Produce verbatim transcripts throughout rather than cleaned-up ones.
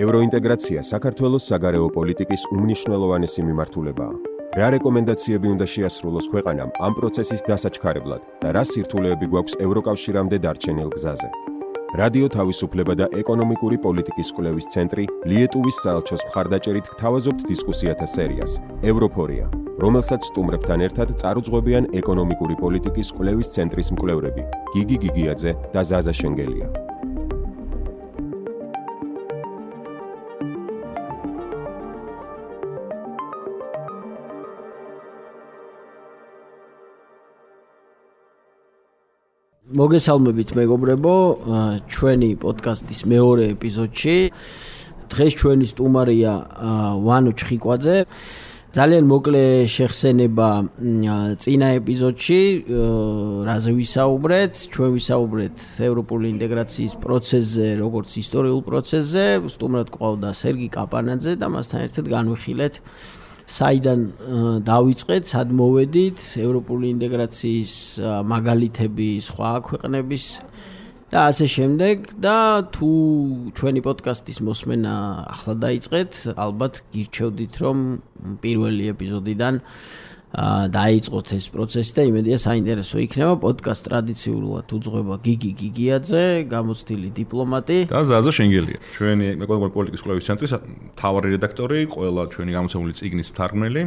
ევროინტეგრაცია საქართველოს საგარეო პოლიტიკის უმნიშვნელოვანესი მიმართულებაა. რა რეკომენდაციები უნდა შეასრულოს ქვეყანამ ამ პროცესის დასაჩქარებლად და რა სირთულეები გვაქვს ევროკავშირამდე დარჩენილ გზაზე. რადიო თავისუფლება და ეკონომიკური პოლიტიკის კვლევის ცენტრი ლიეტუვის საელჩოს მხარდაჭერით გთავაზობთ დისკუსიათა სერიას ევროფორია, რომელსაც სტუმრებთან ერთად წარუძღვებიან ეკონომიკური პოლიტიკის კვლევის ცენტრის მკვლევრები გიგი გიგიაძე და ზაზა შენგელია. მოგესალმებით მეგობრებო, ჩვენი პოდკასტის მეორე ეპიზოდში. დღეს ჩვენი სტუმარია ვანო ჩხიკვაძე. ძალიან მოკლე შეხსენება წინა ეპიზოდში, რაზე ვისაუბრეთ. ჩვენ ვისაუბრეთ ევროპული ინტეგრაციის პროცესზე, როგორც ისტორიულ პროცესზე. სტუმრად გვყავდა სერგი კაპანაძე და მასთან ერთად განვიხილეთ საიდან დავიწყეთ, სად მოვედით, ევროპული ინტეგრაციის მაგალითები სხვა ქვეყნების და ასე შემდეგ და თუ ჩვენი პოდკასტის მოსმენა ახლა დაიწყეთ, ალბათ გირჩევდით, რომ პირველი ეპიზოდიდან დაიწყოთ ეს პროცესი და იმედია საინტერესო იქნება. პოდკასტ ტრადიციულად უძღვება გიგი გიგიაძე, გამოცდილი დიპლომატი და ზაზა შენგელია, ჩვენი ეკონომიკური პოლიტიკის კვლევის ცენტრის მთავარი რედაქტორი, ყველა ჩვენი გამოცემული წიგნის მთარგმნელი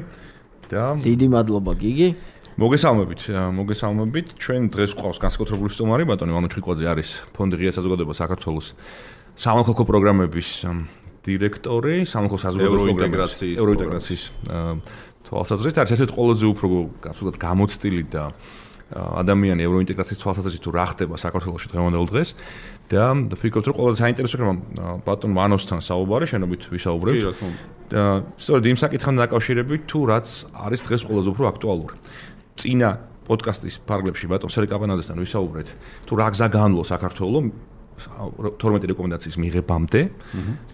და დიდი მადლობა გიგი. მოგესალმებით, მოგესალმებით. ჩვენ დღეს გვყავს განსაკუთრებული სტუმარი, ბატონი ვანო ჩხიკვაძე არის ფონდი ღია საზოგადოება საქართველოს სამოქალაქო პროგრამების დირექტორი, სამოქალაქო საზოგადოების ევროინტეგრაციის ევროინტეგრაციის თვალსაზრისით არის ერთ-ერთი ყველაზე უფრო გასულად გამოცდილი და ადამიანი ევროინტეგრაციის თვალსაზრისით თუ რა ხდება საქართველოში დღევანდელ დღეს და ვფიქრობთ, რომ ყველაზე საინტერესო იქნება ბატონ ვანოსთან საუბარი, შენობით ვისაუბრებთ. და სწორედ იმ საკითხთან დაკავშირებით, თუ რაც არის დღეს ყველაზე უფრო აქტუალური. წინა პოდკასტის ფარგლებში ბატონ სერგი კაპანაძესთან ვისაუბრეთ, თუ რა გზა განვლო საქართველოს თორმეტი რეკომენდაციის მიღებამდე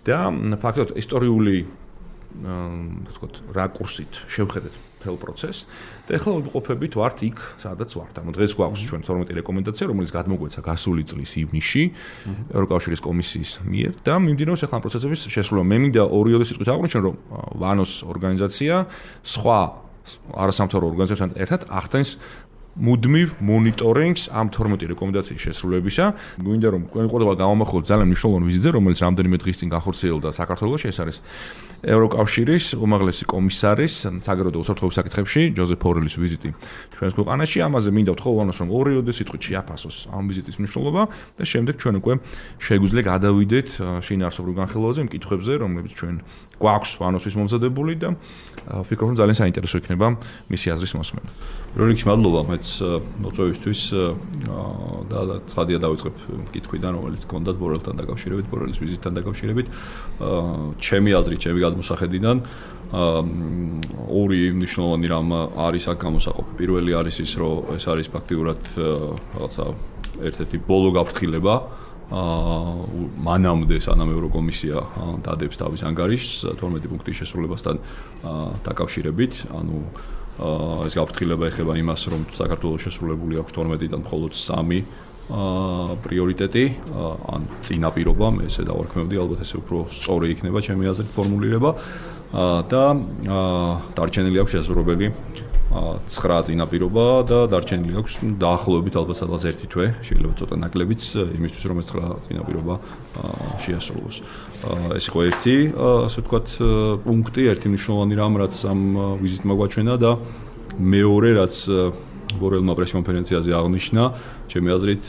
და ფაქტობრივად ისტორიული ვთქვათ, რაკურსით შევხედეთ მთელ პროცესს და ახლა ვიმყოფებით ვართ იქ, სადაც ვართ. ანუ დღეს გვაქვს ჩვენ თორმეტი რეკომენდაცია, რომელიც გადმოგვეცა გასული წლის ივნისში ევროკავშირის კომისიის მიერ და მიმდინარეობს ახლა ამ პროცესების შესრულება. მე მინდა ორიოდე სიტყვით აღვნიშნო, რომ ვანოს ორგანიზაცია სხვა არასამთავრობო ორგანიზაციებთან ერთად ახდენს მუდმივ მონიტორინგს ამ თორმეტი რეკომენდაციის შესრულებისა. გვინდა რომ ყველგან გამომახვილოთ ძალიან მნიშვნელოვანი ვიზიტზე, რომელიც რამდენიმე დღის წინ განხორციელდა საქართველოში. ეს არის ევროკავშირის უმაღლესი კომისარის საგარეო და უსაფრთხოების საკითხებში ჯოზეფ ბორელის ვიზიტი ჩვენს ქვეყანაში. ამაზე მინდა ვთხოვ ვანოს, რომ ორიოდე სიტყვით შეაფასოს ამ ვიზიტის მნიშვნელობა და შემდეგ ჩვენ უკვე შეგვიძლია გადავიდეთ შინაარსობრივ განხილვაზე, იმ კითხვებზე, რომლებიც ჩვენ გვაქვს ვანოსთვის მომზადებული და ვფიქრობ, რომ ძალიან საინტერესო იქნება მისი აზრის მოსმენა. პირველ რიგში მადლობა მეც მოწვევისთვის და ცხადია დავიწყებ კითხვიდან, რომელიც გქონდათ ბორელთან დაკავშირებით, ბორელის ვიზიტთან დაკავშირებით. ჩემი აზრით, ჩემი გადმოსახედიდან ორი მნიშვნელოვანი რამ არის აქ გამოსაყოფი. პირველი არის ის, რომ ეს არის ფაქტიურად რაღაცა ერთ-ერთი ბოლო გაფრთხილება მანამდე სანამ ევროკომისია დადებს თავის ანგარიშს თორმეტი პუნქტის შესრულებასთან დაკავშირებით. ანუ ეს გაფრთხილება ეხება იმას, რომ საქართველოს შესრულებული აქვს თორმეტიდან მხოლოდ სამი პრიორიტეტი, ან წინაპირობა, მე ესე დავარქმევდი, ალბათ ესე უფრო სწორი იქნება ჩემი აზრით ფორმულირება და დარჩენილი აქვს შესაძლებელი ცხრა წინაპირობა და დარჩენილი აქვს დაახლოებით ალბათ სადღაც ერთი თვე, შეიძლება ცოტა ნაკლებიც იმისთვის, რომ ეს ცხრა წინაპირობა შეასრულოს. ეს იყო ერთი, ასე ვთქვათ, პუნქტი, ერთი მნიშვნელოვანი რამ, რაც ამ ვიზიტმა გვაჩვენა და მეორე, რაც ბორელმა პრესკონფერენციაზე აღნიშნა, ჩემი აზრით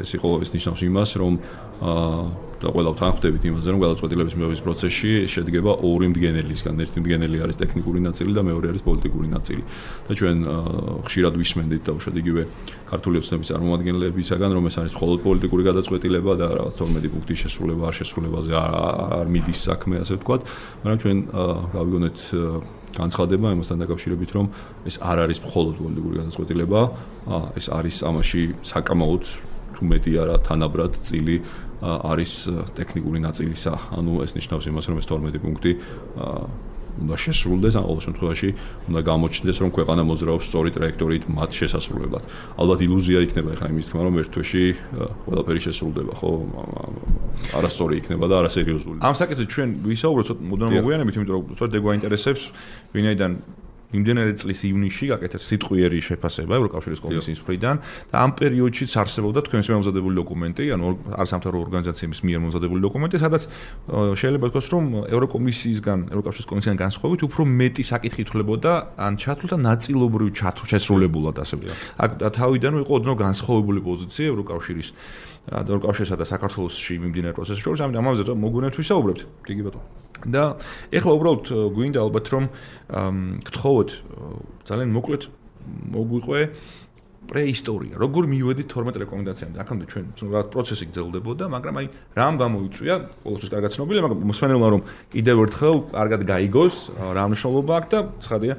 ეს იყო ეს ნიშნავს იმას, რომ და ყველა ვთანხმდებით იმაზე, რომ გადაწყვეტილების მიღების პროცესში შედგება ორი მდგენელისგან. ერთი მდგენელი არის ტექნიკური ნაწილი და მეორე არის პოლიტიკური ნაწილი. და ჩვენ ხშირად ვისმენდით დაუშვათ იგივე ქართული ოცნების წარმომადგენლებისაგან, რომ ეს არის მხოლოდ პოლიტიკური გადაწყვეტილება და რაღაც თორმეტი პუნქტის შესრულება არ შესრულებაზე არ მიდის საქმე, ასე ვთქვათ, მაგრამ ჩვენ გავიგონეთ განცხადება იმასთან დაკავშირებით, რომ ეს არ არის მხოლოდ პოლიტიკური გადაწყვეტილება, ეს არის ამაში საკამაოდ თუ მეტი არა თანაბრად წილი არის ტექნიკური ნაწილისა. ანუ ეს ნიშნავს იმას, რომ ეს თორმეტი პუნქტი უნდა შესრულდეს, ან ყოველ შემთხვევაში უნდა გამოჩნდეს, რომ ქვეყანა მოძრაობს სწორი ტრაექტორიით მათ შესასრულებლად. ალბათ ილუზია იქნება ხა იმის თქმა, რომ ერთ თვეში ყველაფერი შესრულდება, ხო? არასწორი იქნება და არასერიოზული. ამ საკითხზე ჩვენ ვისაუბროთ მოდან მოგვიანებით, იმიტომ რომ სწორედ ეგ გვაინტერესებს, ვინაიდან იმდენად წლის ივნისში გაკეთეს სიტყვიერი შეფასება ევროკავშირის კომისიის მხრიდან და ამ პერიოდშიც არსებობდა თქვენს მომზადებული დოკუმენტი, ანუ არასამთავრობო ორგანიზაციების მიერ მომზადებული დოკუმენტი, სადაც შეიძლება ითქვას, რომ ევროკომისიისგან, ევროკავშირის კომისიისგან განსხვავებით უფრო მეტი საკითხი ითვლებოდა ან ჩათვლდა ნაწილობრივ შესრულებულად ასე. აქ თავიდან იყო ოდნავ განსხვავებული პოზიცია ევროკავშირის ევროკავშირსა და საქართველოსში მიმდინარე პროცესის შორის, ამიტომ ამაზე მოგვიანებით ვისაუბრებთ. კი ბატონო. და ეხლა უბრალოდ გვინდა ალბათ რომ გთხოვოთ ძალიან მოკლედ მოგვიყვე პრეისტორია. როგორ მივედით თორმეტ რეკომენდაციამდე? აქამდე ჩვენ რა პროცესი გრძელდებოდა, მაგრამ აი რამ გამოიწვია, ყოველთვის კარგად ცნობილია, მაგრამ მოსვენელმა რომ კიდევ ერთხელ კარგად გაიგოს, რა მნიშვნელობა აქვს და ცხადია,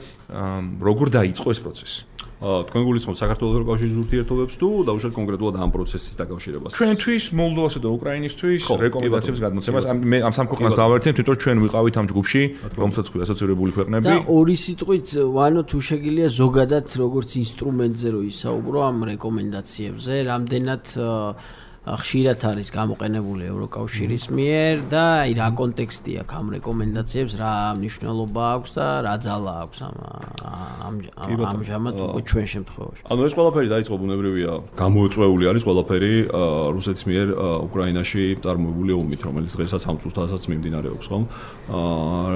როგორ დაიწყო ეს პროცესი. თქვენ გულისხმობთ საქართველოს ევროკავშირის ურთიერთობებს თუ დაუშვათ კონკრეტულად ამ პროცესის დაკავშირებას? ჩვენთვის, მოლდოვასა და უკრაინისთვის რეკომენდაციების გადმოცემას მე ამ სამ ქვეყანას დავერთებ, თვითონ ჩვენ ვიყავით ამ ჯგუფში, რომელსაც ქვია ასოცირებული ქვეყნები. და ორი სიტყვით, ვანო თუ შეგიძლია ზოგადად როგორც ინსტრუმენტზე რო ისაუბრო ამ რეკომენდაციებზე, რამდენად ხშირად არის გამოყენებული ევროკავშირის მიერ და აი რა კონტექსტი აქვს ამ რეკომენდაციებს, რა მნიშვნელობა აქვს და რა ძალა აქვს ამ ამჟამად უკვე ჩვენ შემთხვევაში. ანუ ეს ყველაფერი დაიწყო ბუნებრივია, გამოუწვეული არის ყველაფერი რუსეთის მიერ უკრაინაში წარმოებული ომით, რომელიც დღესაც ამ წუთასაც მიმდინარეობს, ხო?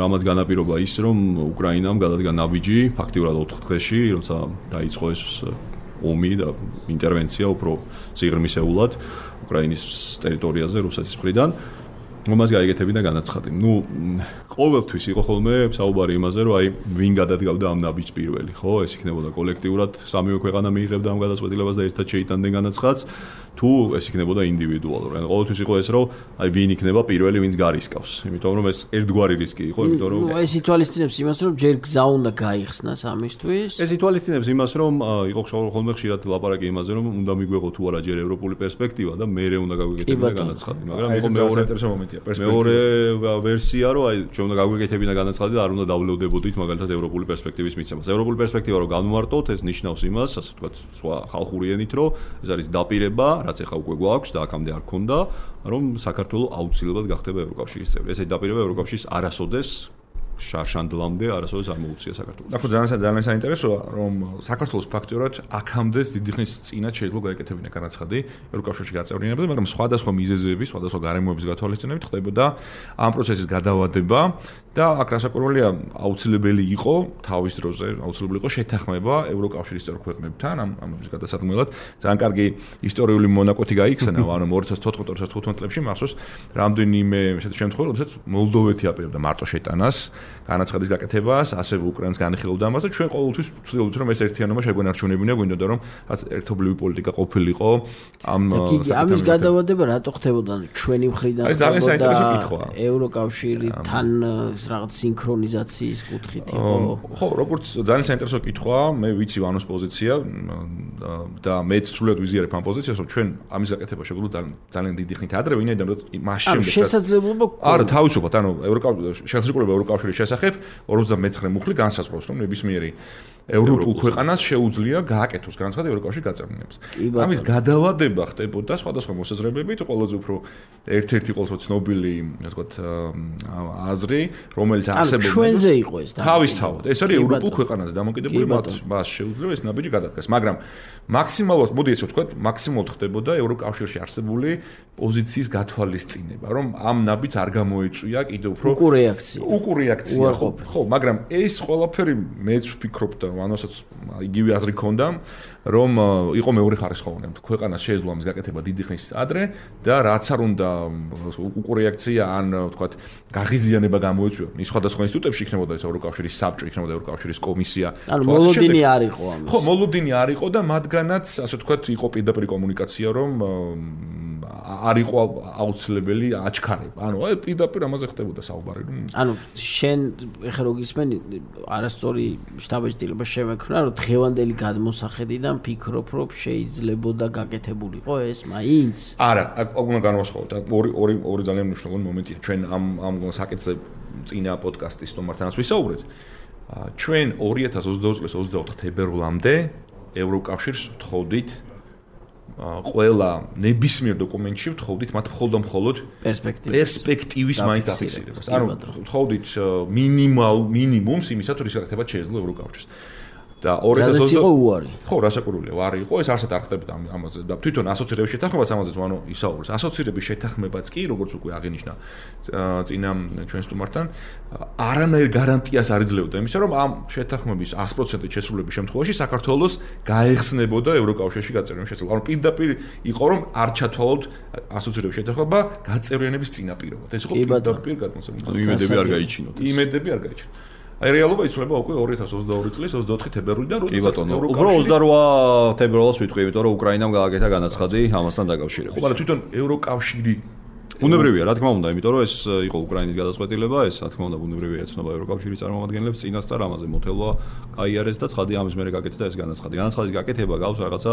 რამაც განაპირობა ის, რომ უკრაინამ გადადგა ნაბიჯი ფაქტიურად ოთხ დღეში, როცა დაიწყო ეს ომი და ინტერვენცია უფრო სიღრმისეულად უკრაინის ტერიტორიაზე რუსეთის მხრიდან, რომას გაიგეთებინა განაცხადი. ნუ ყოველთვის იყო ხოლმე საუბარი იმაზე, რომ აი ვინ გადადგავდა ამ ნაბიჯს პირველი, ხო? ეს იქნებოდა კოლექტიურად სამივე ქვეყანა მიიღებდა ამ გადაწყვეტილებას და ერთად შეიტანდნენ განაცხადს, თუ ეს იქნებოდა ინდივიდუალურად. ანუ ყოველთვის იყო ეს, რომ აი ვინ იქნება პირველი, ვინც გარისკავს. იმიტომ რომ ეს ერთგვარი რისკი იყო, იმიტომ რომ ეს ითვალისწინებს იმას, რომ ჯერ გზა უნდა გაიხსნას ამისთვის. ეს ითვალისწინებს იმას, რომ იყო ხოლმე ხშირად ლაპარაკი იმაზე, რომ უნდა მიგვეღო თუ არა ჯერ ევროპული პერსპექტივა და მერე უნდა გაგვეკეთებინა განაცხადი, მაგრამ იყო მეორე ინტერესო მომენტია, მეორე ვერსია, რომ აი ჩვენ უნდა გაგვეკეთებინა განაცხადი და არ უნდა დავლევდებოდით მაგალითად ევროპული პერსპექტივის მიცემას. ევროპული პერსპექტივა რო განვარტოთ, ეს ნიშნავს იმას, ასე ვთქვათ, სხვა ხალხური ენით, რომ ეს არის დაპირება, რაც ეხა უკვე გვაქვს და აქამდე არ ქონდა, რომ საქართველოს აუცილებლად გახდება ევროკავშირის წევრი. ესეთი დაპირება ევროკავშირის არასოდეს შარშანდლამდე არასოდეს არ მოუწია საქართველოს. ახლა ძალიან ძალიან საინტერესოა, რომ საქართველოს ფაქტიურად აქამდე დიდი ხნის წინათ შეიძლება გაეკეთებინა განაცხადი ევროკავშირში გაწევრიანებაზე, მაგრამ სხვადასხვა მიზეზების, სხვადასხვა გარემოების გათვალისწინებით ხდებოდა ამ პროცესის გადავადება და აქ რასაკვირველია აუცილებელი იყო თავის დროზე, აუცილებელი იყო შეთანხმება ევროკავშირის წევრ ქვეყნებთან ამ ამის გადასადგმელად. ძალიან კარგი ისტორიული მონაკვეთი გაიხსნა, ანუ ორი ათას თოთხმეტ ორი ათას თხუთმეტ წლებში მახსოვს რამდენიმე ესეთი შემთხვევა, როდესაც მოლდოვეთი აპირებდა მარტო შეტანას განაცხადის გაკეთებას, ასევე უკრაინას განიხილავდა ამას და ჩვენ ყოველთვის ვცდილობთ რომ ეს ერთიანობა შეგვენარჩუნებინა, გვინდოდა რომ რაც ერთობლივი პოლიტიკა ყოფილიყო ამ ამის გადავადება რატო ხდებოდა ჩვენი მხრიდან ძალიან საინტერესო კითხვაა. ევროკავშირთან რაღაც სინქრონიზაციის კუთხით იყო. ხო, როგორც ძალიან საინტერესო კითხვაა, მე ვიცი ვანოს პოზიცია და მეც სრულად ვიზიარებ ამ პოზიციას, რომ ჩვენ ამის გაკეთება შეგვიძლია ძალიან დიდი ხნით ადრე, ვინაიდან მას შემდეგ შესაძლებლობა გქონდა. არა, თავისუფლად, ანუ ევროკავშირის შესაძლებლობა ევროკავშირის შესახებ ორმოცდამეცხრე მუხლი განსაზღვრავს, რომ ნებისმიერი ევროპულ ქვეყანას შეუძლია გააკეთოს განაცხადი ევროკავშირის გაწევრიანებას. ამის გადავადება ხდებოდა სხვადასხვა მოსაზრებებით, ყველაზე უფრო ერთ-ერთი ყოველთვის ცნობილი, ასე ვთქვათ, აზრი, რომელიც არსებობდა. ჩვენზე იყო ეს თავისთავად. ეს არის ევროპულ ქვეყანაზე დამოკიდებული, მათ მას შეუძლია ეს ნაბიჯი გადადგას, მაგრამ მაქსიმალურად, მოდი ესე ვთქვათ, მაქსიმალურად ხდებოდა ევროკავშირში არსებული პოზიციის გათვალისწინება, რომ ამ ნაბიჯს არ გამოეწვია კიდევ უფრო უკუ რეაქცია. უკუ რეაქცია, ხო, ხო, მაგრამ ეს ყველაფერი მეც ვფიქრობ და ანასაც იგივე აზრი ქონდა, რომ იყო მეორე ხარისხოვანი, ქვეყანას შეეძლო ამის გაკეთება დიდი ხნის ადრე და რაც არ უნდა უკუ რეაქცია ან ვთქვათ გაღიზიანება გამოეწვია. ის სხვადასხვა ინსტიტუტებში იქნებოდა ეს ევროკავშირის საბჭო, იქნებოდა ევროკავშირის კომისია. ანუ მოლოდინი არ იყო ამას. ხო, მოლოდინი არ იყო და მათგანაც ასე ვთქვათ იყო პირდაპირ კომუნიკაცია, რომ არ იყო აუცილებელი აჩქარება. ანუ აი პირდაპირ ამაზე ხდებოდა საუბარი, რომ ანუ შენ ეხლა რო გისმენი არასწორი შტაბ-ჭრილობა შემექმნა, რომ დღევანდელი გადმოსახედიდან ფიქრობ, რომ შეიძლებოდა გაკეთებულიყო ეს მაინც? არა, აქ უნდა განვასხვაოთ. ორი ორი ორი ძალიან მნიშვნელოვანი მომენტია. ჩვენ ამ ამ საკითხზე წინა პოდკასტის სტუმართანაც ვისაუბრეთ. ჩვენ ორი ათას ოცდაოთხ წლის ოცდაოთხ თებერვლამდე ევროკავშირს ვთხოვდით ყველა ნებისმიერ დოკუმენტში ვთხოვდით მათ მხოლოდ და მხოლოდ პერსპექტივის მაინც დაფიქსირებას. ანუ ვთხოვდით მინიმალ მინიმუმს იმისა თუ რის გაკეთება შეეძლო ევროკავშირს. და ორი ათას ოცდაოთხ იყო უარი. ხო, რასაკვირველია, უარი იყო, ეს არსად არ ხდებოდა ამაზე და თვითონ ასოცირების შეთანხმებაც ამაზეც ანუ ისაუბრეს. ასოცირების შეთანხმებაც კი, როგორც უკვე აღინიშნა წინა ჩვენ სტუმართან, არანაირ გარანტიას არ იძლეოდა იმისა, რომ ამ შეთანხმების sto პროცენტ შესრულების შემთხვევაში საქართველოს გაეხსნებოდა ევროკავშირში გაწევრიანების შესაძლებლობა. ანუ პირდაპირ იყო, რომ არ ჩათვალოთ ასოცირების შეთანხმება გაწევრიანების წინაპირობად. ეს იყო პირდაპირ გადმოსავალ. იმედები არ გაიჩინოთ. იმედები არ გაიჩინოთ. აი რეალობა იცვლება უკვე ორი ათას ოცდაორი წლის ოცდაოთხ თებერვლიდან, როდესაც უფრო ოცდარვა თებერვალს ვიტყვი, იმიტომ რომ უკრაინამ გააკეთა განაცხადი ამასთან დაკავშირებით. ხო, მაგრამ თვითონ ევროკავშირი ბუნებრივია, რა თქმა უნდა, იმიტომ რომ ეს იყო უკრაინის გადაწყვეტილება, ეს რა თქმა უნდა ბუნებრივია ეცნობა ევროკავშირის წარმომადგენლებს წინასწარ ამაზე მოთელვა გაიარეს და ცხადი ამის მერე გაკეთდა ეს განაცხადი. განაცხადის გაკეთება გავს რაღაცა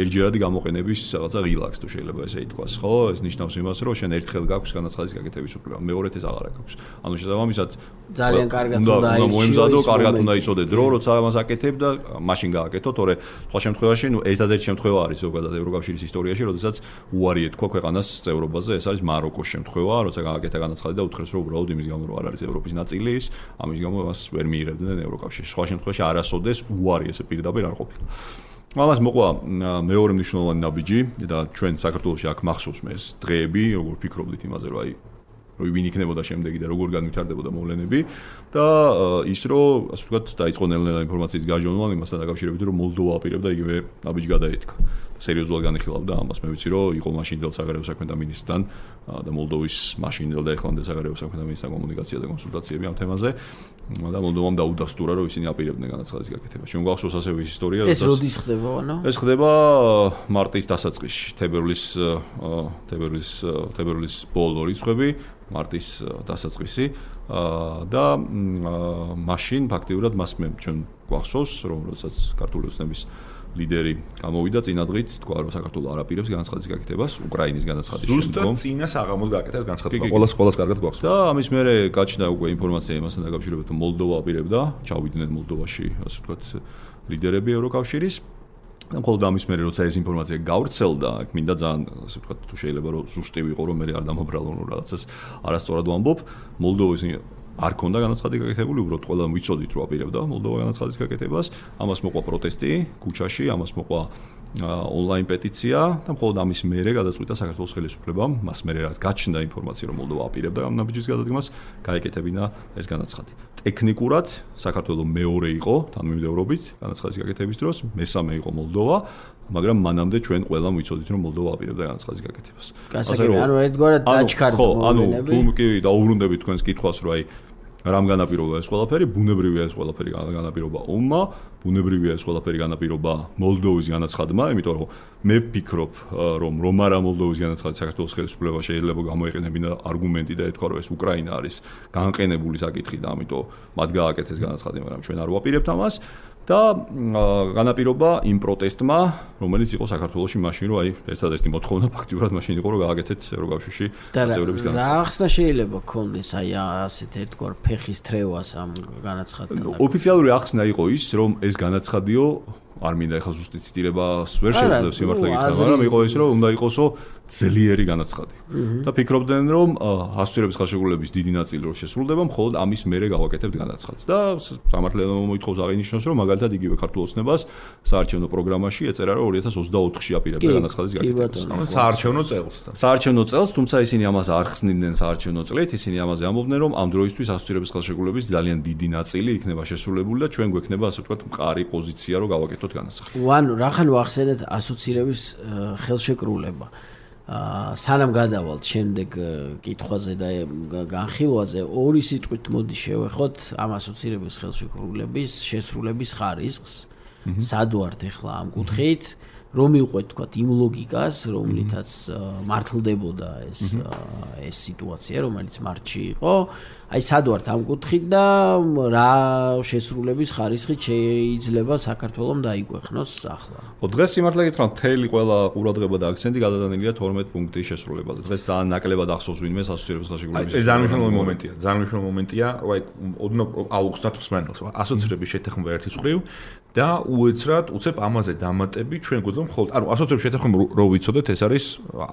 ერთჯერადი გამოყენების რაღაცა რილაქს თუ შეიძლება ესე ითქვას, ხო? ეს ნიშნავს იმას, რომ შენ ერთხელ გაქვს განაცხადის გაკეთების უფლება, მეორედ ეს აღარ აქვს. ანუ შესაბამისად ძალიან კარგად უნდა მოემზადო, კარგად უნდა იცოდე დრო, როცა ამას აკეთებ და მაშინ გააკეთო, თორე სხვა შემთხვევაში, ნუ ერთადერთი შემთხვევა არის ზოგადად ევროკავშირის ისტორიაში, როდესაც უარი ეთქვა ქვეყანას წევრობაზე, ეს არის მაროკოს შემთხვევა, როცა გააკეთა განაცხადი და უთხრეს, რომ უბრალოდ იმის გამო, რომ არ არის ევროპის ნაწილი ის, ამის გამო მას ვერ მიიღებდნენ ევროკავშირში. სხვა შემთხვევაში არასოდეს უარი ესე პირდაპირ არ ყოფილა. ამას მოყვა მეორე მნიშვნელოვანი ნაბიჯი და ჩვენ საქართველოში აქ მახსოვს მე ეს დღეები, როგორ ფიქრობდით იმაზე, რომ აი რომ ვინ იქნებოდა შემდეგი და როგორ განვითარდებოდა მოვლენები და ის რომ ასე ვთქვათ დაიწყო ნელ-ნელა ინფორმაციის გაჟონვა იმასთან დაკავშირებით რომ მოლდოვა აპირებდა იგივე ნაბიჯი გადაეთქა. სერიოზულად განიხილავდა ამას. მე ვიცი რომ იყო მაშინდელ საგარეო საქმეთა მინისტრთან და მოლდოვის მაშინდელ და ეხლანდელ საგარეო საქმეთა მინისტრთან კომუნიკაცია და კონსულტაციები ამ თემაზე და მოლდოვამ დაუდასტურა რომ ისინი აპირებდნენ განაცხადის გაკეთებას. ჩვენ გვახსოვს ასევე ის ისტორია, როდესაც ეს როდის ხდება, ანუ? ეს ხდება მარტის დასაწყისში, თებერვლის თებერვლის თებერვლის ბოლო რიცხვები, მარტის დასაწყისი და მაშინ ფაქტიურად მას მე ჩვენ გვახსოვს რომ როდესაც ქართული ოცნების ლიდერი გამოვიდა წინადღით, თქვა რომ საქართველოს არ აპირებს განაცხადის გაკეთებას, უკრაინის განაცხადის შემდგომ. ზუსტად წინა საღამოს გაკეთებას განაცხადი. ყოველას ყოველას კარგად გვახსოვს. და ამის მერე გაჩნდა უკვე ინფორმაცია იმასთან დაკავშირებით, რომ მოლდოვა აპირებდა, ჩავიდნენ მოლდოვაში, ასე ვთქვათ, ლიდერები ევროკავშირის. და მხოლოდ ამის მერე როცა ეს ინფორმაცია გავრცელდა, აქ მინდა ძალიან, ასე ვთქვათ, თუ შეიძლება რომ ზუსტი ვიყო, რომ მე არ დამაბრალო რომ რაღაცას არასწორად ვამბობ, მოლდოვის არ ქონდა განაცხადი გაკეთებული, უბრალოდ ყველამ ვიცოდით რომ აპირებდა მოლდოვა განაცხადის გაკეთებას, ამას მოყვა პროტესტი ქუჩაში, ამას მოყვა ონლაინ პეტიცია და მხოლოდ ამის მერე გადაწყვიტა საქართველოს ხელისუფლებამ, მას მერე რაც გაჩნდა ინფორმაცია რომ მოლდოვა აპირებდა ამ ნაბიჯის გადადგმას, გაეკეთებინა ეს განაცხადი. ტექნიკურად საქართველოს მეორე იყო თანმიმდევრობით განაცხადის გაკეთების დროს, მესამე იყო მოლდოვა, მაგრამ მანამდე ჩვენ ყველამ ვიცოდით რომ მოლდოვა აპირებდა განაცხადის გაკეთებას. ასე რომ ანუ ერთგვარად დაჩქარდა მოვლენები. ანუ თუ კი დაუბრუნდებით თქვენს კითხვას რომ აი რამ განაპირობა ეს ყველაფერი, ბუნებრივია ეს ყველაფერი განაპირობა ომმა, ბუნებრივია ეს ყველაფერი განაპირობა მოლდოვის განაცხადმა, იმიტომ რომ მე ვფიქრობ რომ რომ არა მოლდოვის განაცხადი საქართველოს ხელისუფლება შეიძლება გამოეყენებინა არგუმენტი და ეთქვა რომ ეს უკრაინა არის განყენებული საკითხი და ამიტომ მათ გააკეთეს განაცხადი, მაგრამ ჩვენ არ ვაპირებთ ამას. და განაპირობა იმ პროტესტმა, რომელიც იყო საქართველოში მაშინ, რომ აი ერთადერთი მოთხოვნა ფაქტიურად მაშინ იყო, რომ გააკეთეთ ევროკავშირში წევრების განაცხადი. რა ახსნა შეიძლება ქონდეს აი ასეთ ერთგვარ ფეხის თრევას ამ განაცხადთან? ოფიციალური ახსნა იყო ის, რომ ეს განაცხადიო არ მინდა ეხლა ზუსტი ციტირებას ვერ შევძლებ სიმართლე გითხრა, მაგრამ იყო ის, რომ უნდა იყოსო ძლიერი განაცხადი. და ფიქრობდნენ, რომ ასოცირების ხელშეკრულების დიდი ნაწილი რო შესრულდება, მხოლოდ ამის მერე გავაკეთებთ განაცხადს. და სამართლიანო მოითხოვს აღინიშნოს, რომ მაგალითად იგივე ქართულ ოცნებას საარჩევნო პროგრამაში ეწერა, რომ ორი ათას ოცდაოთხში აპირებდა განაცხადის გაკეთებას. ანუ საარჩევნო წელს. საარჩევნო წელს, თუმცა ისინი ამას არ ხსნიდნენ საარჩევნო წლით, ისინი ამაზე ამბობდნენ, რომ ამ დროისთვის ასოცირების ხელშეკრულების ძალიან დიდი ნაწილი იქნება შესრულებული და ჩვენ გვექნება ასე ვთქვათ მყარი პოზიცია, რომ გავაკეთოთ განაცხადი. ანუ რახან ვახსენეთ ასოცირების ხელშეკრულება. აა სანამ გადავალთ შემდეგ კითხვაზე და განხილვაზე ორი სიტყვით მოდი შევეხოთ ამ ასოცირების ხელშეკრულების შესრულების ხარისხს. სად ვართ ახლა ამ კუთხით რომ მივყვეთ თქვათ იმ ლოგიკას, რომლითაც მართლდებოდა ეს ეს სიტუაცია, რომელიც მარტში იყო. აი სად ვართ ამ კუთხით და რა შესრულების ხარისხით შეიძლება საქართველოს დაიგვეხნოს ახლა. ხო, დღეს სიმართლე გითხრათ, მთელი ყველა ყურადღება და აქცენტი გადადანილია თორმეტ პუნქტის შესრულებაზე. დღეს ძალიან ნაკლებად ახსოვს ვინმე ასოცირების ხელშეკრულების. ეს ძალიან მნიშვნელოვანი მომენტია, ძალიან მნიშვნელოვანი მომენტია, რომ აი ოდნავ აუგუსტად ხსმენელს ასოცირების შეთანხმება ერთის მხრივ და უეცრად უცებ ამაზე დამატები ჩვენ გვეძლო მხოლოდ ანუ ასოცირების შეთანხმება რო ვიცოდეთ ეს არის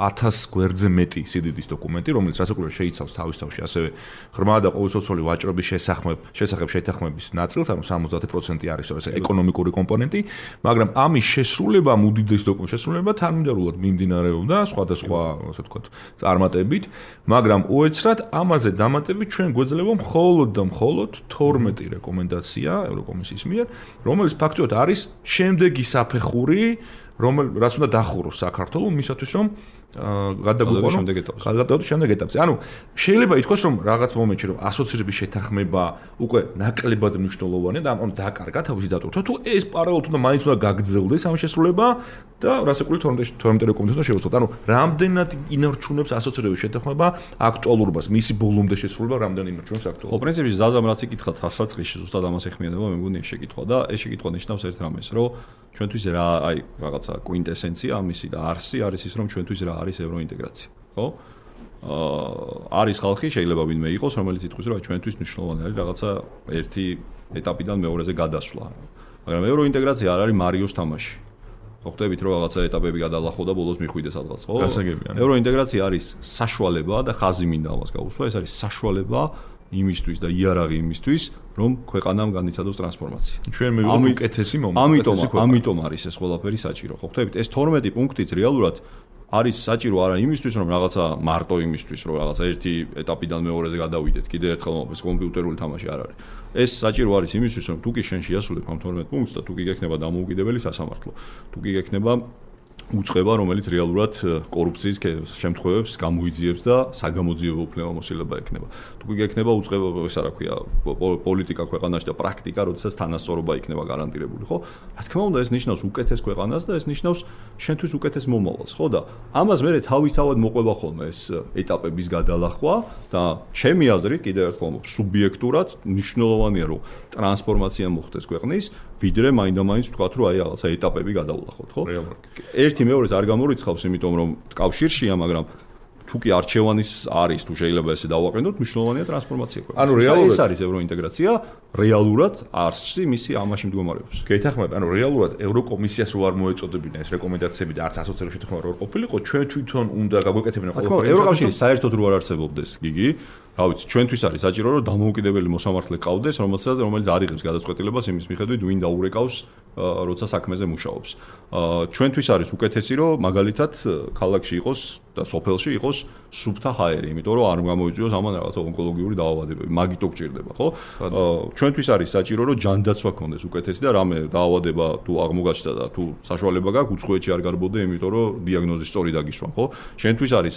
ათას გვერდზე მეტი სიდიდის დოკუმენტი რომელიც რასაკვირველია შეიცავს თავის თავში ასევე ღრმა და ყოველწლიური ვაჭრობის შესახებ შესახებ შეთანხმების ნაწილს ანუ სამოცდაათი პროცენტი არის ეს ეკონომიკური კომპონენტი მაგრამ ამის შესრულება უდიდეს დოკუმენტის შესრულება თანმიმდევრულად მიმდინარეობდა სხვადასხვა ასე ვთქვათ წარმატებით მაგრამ უეცრად ამაზე დამატებით ჩვენ გვეძლება მხოლოდ და მხოლოდ თორმეტი რეკომენდაცია ევროკომისიის მიერ რომელიც ფაქტობრივად არის შემდეგი საფეხური რომელ რაც უნდა დახუროს საქართველოს მისათვის რომ გადაგვიყვანო გადავდოთ შემდეგ ეტაპზე. ანუ შეიძლება ითქვას რომ რაღაც მომენტში რომ ასოცირების შეთანხმება უკვე ნაკლებად მნიშვნელოვანია და ამ დაკარგა თავისი დატვირთვა თუ ეს პარალელურად უნდა მაინც უნდა გაგრძელდეს ამ შესრულება და რასაკვირველია თორმეტი რეკომენდაცია უნდა შევეცოთ. ანუ რამდენად ინარჩუნებს ასოცირების შეთანხმება აქტუალურობას, მისი ბოლომდე შესრულება რამდენად ინარჩუნებს აქტუალურობას. ხო, პრინციპში ზაზამ რაც იკითხა დასაწყისში ზუსტად ამას ეხმიანება, მე მგონია შეკითხვა და ეს შეკითხვა ნიშნავს ერთ რამეს, რომ ჩვენთვის რა აი რაღაცა კვინტესენცია ამისი და არსი არის ის რომ ჩვენთვის რა არის ევროინტეგრაცია, ხო? აა არის ხალხი შეიძლება ვინმე იყოს, რომელიც იტყვის რომ ჩვენთვის მნიშვნელოვანი არის რაღაცა ერთი ეტაპიდან მეორეზე გადასვლა. მაგრამ ევროინტეგრაცია არ არის მარიოს თამაში. ხო ხდებით რომ რაღაცა ეტაპები გადალახო და ბოლოს მიხვიდე სადღაც, ხო? ევროინტეგრაცია არის საშუალება და ხაზი მინდა ამას გავუსვა, ეს არის საშუალება იმისთვის და იარაღი იმისთვის, რომ ქვეყანამ განიცადოს ტრანსფორმაცია. ჩვენ მივიღოთ უკეთესი მომენტი. ამიტომ ამიტომ არის ეს ყველაფერი საჭირო. ხო ხდებით, ეს თორმეტი პუნქტიც რეალურად არის საჭირო არა იმისთვის, რომ რაღაცა მარტო იმისთვის, რომ რაღაცა ერთი ეტაპიდან მეორეზე გადავიდეთ, კიდე ერთხელ მომწეს კომპიუტერული თამაში არ არის. ეს საჭირო არის იმისთვის, რომ თუ კი შენ შეასრულებ ამ თორმეტ პუნქტს და თუ კი გექნება დამოუკიდებელი სასამართლო, თუ კი გექნება უწყება, რომელიც რეალურად კორუფციის შემთხვევებს გამოიძიებს და საგამოძიებო უფლებამოსილება ექნება. თუ კი გექნება უწყება, ეს რა ქვია, პოლიტიკა ქვეყანაში და პრაქტიკა, როდესაც თანასწორობა იქნება გარანტირებული, ხო? რა თქმა უნდა, ეს ნიშნავს უკეთეს ქვეყანას და ეს ნიშნავს შენთვის უკეთეს მომავალს, ხო? და ამას მე თავისთავად მოყვება ხოლმე ეს ეტაპების გადალახვა და ჩემი აზრით კიდევ ერთხელ სუბიექტურად მნიშვნელოვანია, რომ ტრანსფორმაცია მოხდეს ქვეყნის, ვიდრე მაინდა-მაინც ვთქვათ, რომ აი რაღაცა ეტაპები გადავლახოთ, ხო? ერთი მეორეს არ გამორიცხავს, იმიტომ რომ კავშირშია, მაგრამ თუ კი არჩევანის არის, თუ შეიძლება ესე დავაყენოთ, მნიშვნელოვანია ტრანსფორმაცია ქვეყნის. ანუ რეალურად ეს არის ევროინტეგრაცია, რეალურად არსი მისი ამაში მდგომარეობს. გეთახმებით, ანუ რეალურად ევროკომისიას რო არ მოეწოდებინა ეს რეკომენდაციები და არც ასოცირების შეთანხმება რო არ ყოფილიყო, ჩვენ თვითონ უნდა გაგვეკეთებინა ყველაფერი. ევროკავშირი საერთოდ რო არ არსებობდეს, გიგი, რა ვიცი, ჩვენთვის არის საჭირო, რომ დამოუკიდებელი მოსამართლე ყავდეს, რომელსაც რომელიც არ იღებს გადაწყვეტილებას იმის მიხედვით, ვინ დაურეკავს, როცა საქმეზე მუშაობს. ჩვენთვის არის უკეთესი, რომ მაგალითად ქალაქში იყოს და სოფელში იყოს სუფთა ჰაერი, იმიტომ რომ არ გამოიწვიოს ამან რაღაცა ონკოლოგიური დაავადებები. მაგითო გჭირდება, ხო? ჩვენთვის არის საჭირო, რომ ჯანდაცვა გქონდეს უკეთესი და რამე დაავადება თუ აღმოგაჩნდა და თუ საშუალება გაქვს, უცხოეთში არ გარბოდე, იმიტომ რომ დიაგნოზი სწორი დაგისვან, ხო? შენთვის არის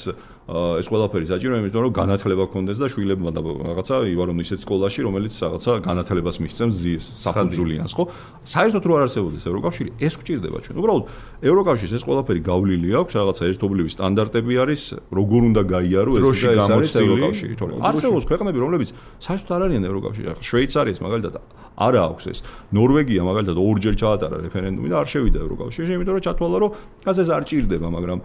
ეს ყველაფერი საჭირო, იმიტომ რომ განათლება გქონდეს და შვილებმა და რაღაცა ივარონ ისეთ სკოლაში, რომელიც რაღაცა განათლებას მისცემს საფუძვლიანს, ხო? საერთოდ რო არ არსებობდეს ევროკავშირი, ეს გჭირდება ჩვენ. უბრალოდ ევროკავშირის ეს ყველაფერი გავლილი აქვს, რაღაცა ერთობლივი სტანდარტები არის, როგორ უნდა გაიარო ეს და ეს არის ევროკავშირი, თორემ არსებობს ქვეყნები, რომლებიც საერთოდ არ არიან ევროკავშირში. ახლა შვეიცარიის მაგალითად არ აქვს ეს. ნორვეგია მაგალითად ორჯერ ჩაატარა რეფერენდუმი და არ შევიდა ევროკავშირში, იმიტომ რომ ჩათვალა, რომ გაზ ეს არ ჭირდება, მაგრამ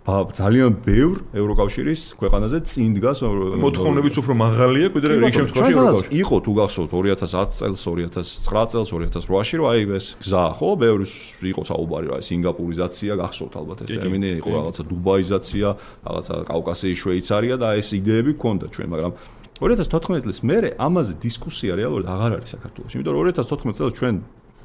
ძალიან ბევრ ევროკავშირის ქვეყანაზე წინ დგას მოთხოვნებიც უფრო მაღალია, ვიდრე რიგ შემთხვევაში ევროკავშირი. იყო თუ გახსოვთ ორი ათას ათი წელს, ორი ათას ცხრა წელს, ორი ათას რვაში, რომ აი ეს გზა, ხო, ბევრი იყო საუბარი, რა, სინგაპურიზაცია, გახსოვთ ალბათ ეს ტერმინი, იყო რაღაცა დუბაიზაცია, რაღაცა კავკასიის შვეიცარია და ეს იდეები გქონდა ჩვენ, მაგრამ ორი ათას თოთხმეტ წელს მერე ამაზე დისკუსია რეალურად აღარ არის საქართველოში. იმიტომ რომ ორი ათას თოთხმეტ წელს ჩვენ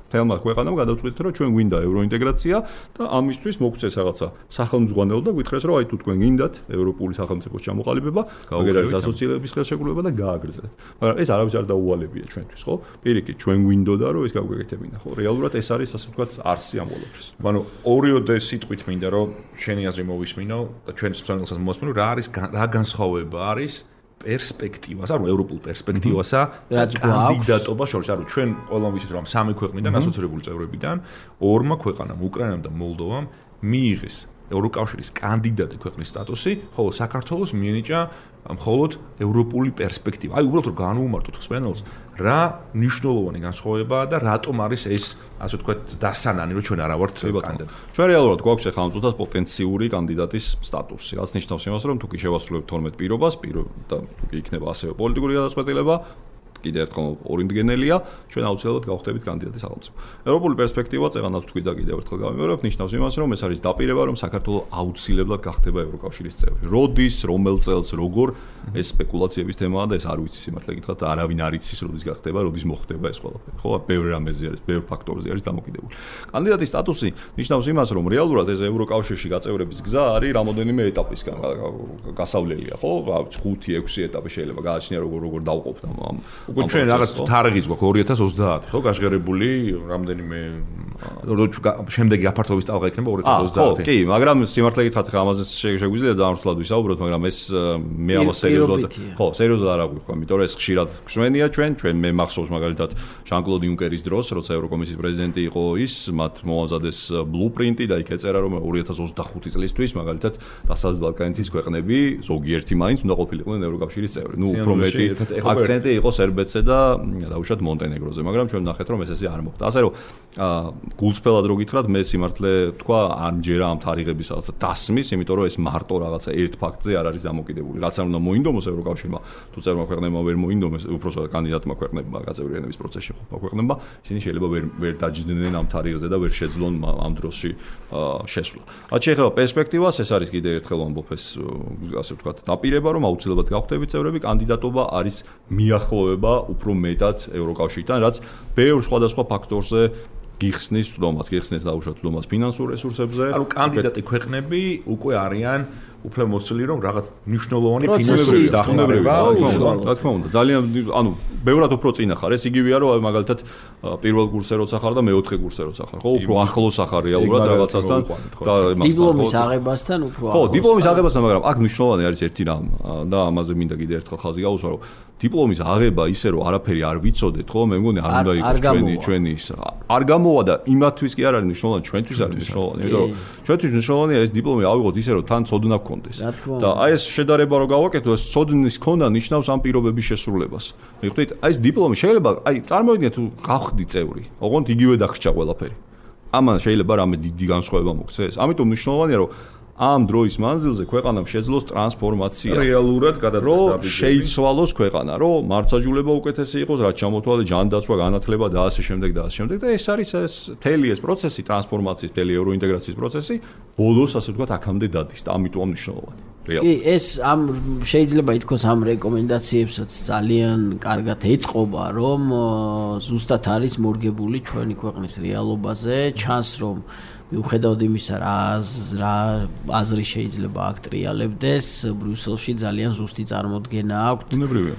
თელმა ქვეყანამ გადავწყვიტეთ, რომ ჩვენ გვინდა ევროინტეგრაცია და ამისთვის მოგვწეს რაღაცა სახელმძღვანელო და გვითხრეს, რომ აი თუ თქვენ გინდათ ევროპული სახელმწიფოს ჩამოყალიბება, მაგერ არის ასოცირების ხელშეკრულება და გააგრძელეთ. მაგრამ ეს არავის არ დაუვალებია ჩვენთვის, ხო? პირიქით, ჩვენ გვინდოდა, რომ ეს გავგვეკეთებინა, ხო? რეალურად ეს არის ასე ვთქვათ, არსი ამ ყოველთვის. ანუ ორიოდე სიტყვით მინდა, რომ შენი აზრი მოვისმინო და ჩვენს მსმენელსაც მოვისმინო, რა არის რა განსხვავება არის პერსპექტივას, ანუ ევროპულ პერსპექტივასა რაც კანდიდატობა შორის, ანუ ჩვენ ყველამ ვიცით რომ სამი ქვეყნიდან ასოცირებული წევრებიდან ორმა ქვეყანამ, უკრაინამ და მოლდოვამ მიიღეს ევროკავშირის კანდიდატი ქვეყნის სტატუსი, ხოლო საქართველოს მიენიჭა მხოლოდ ევროპული პერსპექტივა. აი უბრალოდ რომ განვუმარტოთ ხსვენელს, რა მნიშვნელოვანი განსხვავებაა და რატომ არის ეს, ასე ვთქვათ, დასანანი, რომ ჩვენ არა ვართ კანდიდატი. ჩვენ რეალურად გვაქვს ახლა ამ წუთას პოტენციური კანდიდატის სტატუსი, რაც ნიშნავს იმას, რომ თუ კი შევასრულებთ თორმეტ პირობას, პირო და თუ კი იქნება ასევე პოლიტიკური გადაწყვეტილება, კიდევ ერთხელ ორინდგენელია, ჩვენ აუცილებლად გავხდებით კანდიდატის სახელმწიფო. ევროპული პერსპექტივა, წეგანაც თქვი და კიდევ ერთხელ გავიმეორებ, ნიშნავს იმას, რომ ეს არის დაპირება, რომ საქართველოს აუცილებლად გახდება ევროკავშირის წევრი. როდის, რომელ წელს, როგორ ეს სპეკულაციების თემაა და ეს არ ვიცი სიმართლე გითხრათ, არავინ არ იცის, როდის გახდება, როდის მოხდება ეს ყველაფერი. ხო, ბევრი რამეზე არის, ბევრი ფაქტორზე არის დამოკიდებული. კანდიდატის სტატუსი ნიშნავს იმას, რომ რეალურად ეს ევროკავშირში გაწევრების გზა არის რამოდენიმე ეტაპისგან გასავლელია, ხო? ხუთი, ექვსი ეტაპი შეიძლება გააჩნია, როგორ როგორ დავყოფთ ამ უკვე ჩვენ რაღაც თარიღიც გვაქვს ორი ათას ოცდაათი, ხო, გაჟღერებული რამდენიმე შემდეგი აფართოების ტალღა იქნება ორი ათას ოცდაათი. ხო, კი, მაგრამ სიმართლე გითხრათ, ხა ამაზე შეგვიძლია ძალიან სულად ვისაუბროთ, მაგრამ ეს მე ამას სერიოზულად, ხო, სერიოზულად არ აღვიქვი, იმიტომ რომ ეს ხშირად გვსვენია ჩვენ, ჩვენ მე მახსოვს მაგალითად ჟან-კლოდ იუნკერის დროს, როცა ევროკომისიის პრეზიდენტი იყო ის, მათ მოამზადეს ბლუპრინტი და იქ ეწერა, რომ ორი ათას ოცდახუთი წლისთვის მაგალითად დასავლეთ ბალკანეთის ქვეყნები ზოგიერთი მაინც უნდა ყოფილიყვნენ ევროკავშირის წევრი. ნუ უფრო მეტი აქცენტი იყო სერბეთზე და დაუშვათ მონტენეგროზე, მაგრამ ჩვენ ნახეთ რომ ეს ესე არ მოხდა. ასე რომ გულწრფელად რო გითხრათ, მე სიმართლე თქვა არ მჯერა ამ თარიღების რაღაცა დასმის, იმიტომ რომ ეს მარტო რაღაცა ერთ ფაქტზე არ არის დამოკიდებული. რაც არ უნდა მოინდომოს ევროკავშირმა, თუ წევრმა ქვეყნებმა ვერ მოინდომეს, უпроსტად კანდიდატმა ქვეყნებმა გაწევრიანების პროცესში ყოფნა ქვეყნებმა, ისინი შეიძლება ვერ ვერ დაჯდნენ ამ თარიღზე და ვერ შეძლონ ამ დროში შესვლა. რაც შეეხება პერსპექტივას, ეს არის კიდევ ერთხელ ვამბობ ეს ასე ვთქვათ, დაპირება, რომ აუცილებლად გავხდებით წევრები, კანდიდატობა არის მიახლოვება უფრო მეტად ევროკავშირთან, რაც ბევრ სხვადასხვა ფაქტორზე გიხსნის ცდომას, გიხსნის დაუშვათ ცდომას ფინანსურ რესურსებზე. ანუ კანდიდატი ქვეყნები უკვე არიან უფლებამოსილი, რომ რაღაც მნიშვნელოვანი ფინანსური დახმარება, რა თქმა უნდა, ძალიან ანუ ბევრად უფრო წინა ხარ. ეს იგივეა, რომ მაგალითად პირველ კურსზე როცა ხარ და მეოთხე კურსზე როცა ხარ, ხო, უფრო ახლოს ახარ რეალურად რაღაცასთან და დიპლომის აღებასთან უფრო ახლოს. ხო, დიპლომის აღებასთან, მაგრამ აქ მნიშვნელოვანი არის ერთი რამ და ამაზე მინდა კიდევ ერთხელ ხაზი გაუსვა, რომ დიპლომის აღება ისე რომ არაფერი არ ვიცოდეთ, ხო, მე მგონი არ უნდა იყოს ჩვენი ჩვენი ის. არ გამოვა და იმათთვის კი არ არის მნიშვნელოვანი, ჩვენთვის არის მნიშვნელოვანი, იმიტომ რომ ჩვენთვის მნიშვნელოვანია ეს დიპლომი ავიღოთ ისე რომ თან ცოდნა გქონდეს. და აი ეს შედარება რო გავაკეთო, ეს ცოდნის ქონა ნიშნავს ამ პირობების შესრულებას. მიხვდით, აი ეს დიპლომი შეიძლება, აი წარმოვიდგინეთ თუ გავხდი წევრი, ოღონდ იგივე დაგრჩა ყველაფერი. ამან შეიძლება რამე დიდი განსხვავება მოქცეს. ამიტომ მნიშვნელოვანია რომ ამ დროის მანძილზე ქვეყანამ შეძლოს ტრანსფორმაცია. რეალურად გადადგეს დაბიჯები. შეიცვალოს ქვეყანა, რომ მარცხაჯულება უკეთესი იყოს, რაც ჩამოთვალე ჯანდაცვა, განათლება და ასე შემდეგ და ასე შემდეგ და ეს არის ეს მთელი ეს პროცესი, ტრანსფორმაციის, მთელი ევროინტეგრაციის პროცესი, ბოლოს ასე ვთქვათ, აქამდე დადის და ამიტომ მნიშვნელოვანი. კი, ეს ამ შეიძლება ითქვას ამ რეკომენდაციებსაც ძალიან კარგად ეთყობა, რომ ზუსტად არის მორგებული ჩვენი ქვეყნის რეალობაზე, ჩანს რომ მიუხედავად იმისა, რა რა აზრი შეიძლება აქ ტრიალებდეს, ბრიუსელში ძალიან ზუსტი წარმოდგენა აქვს. უნებრივია.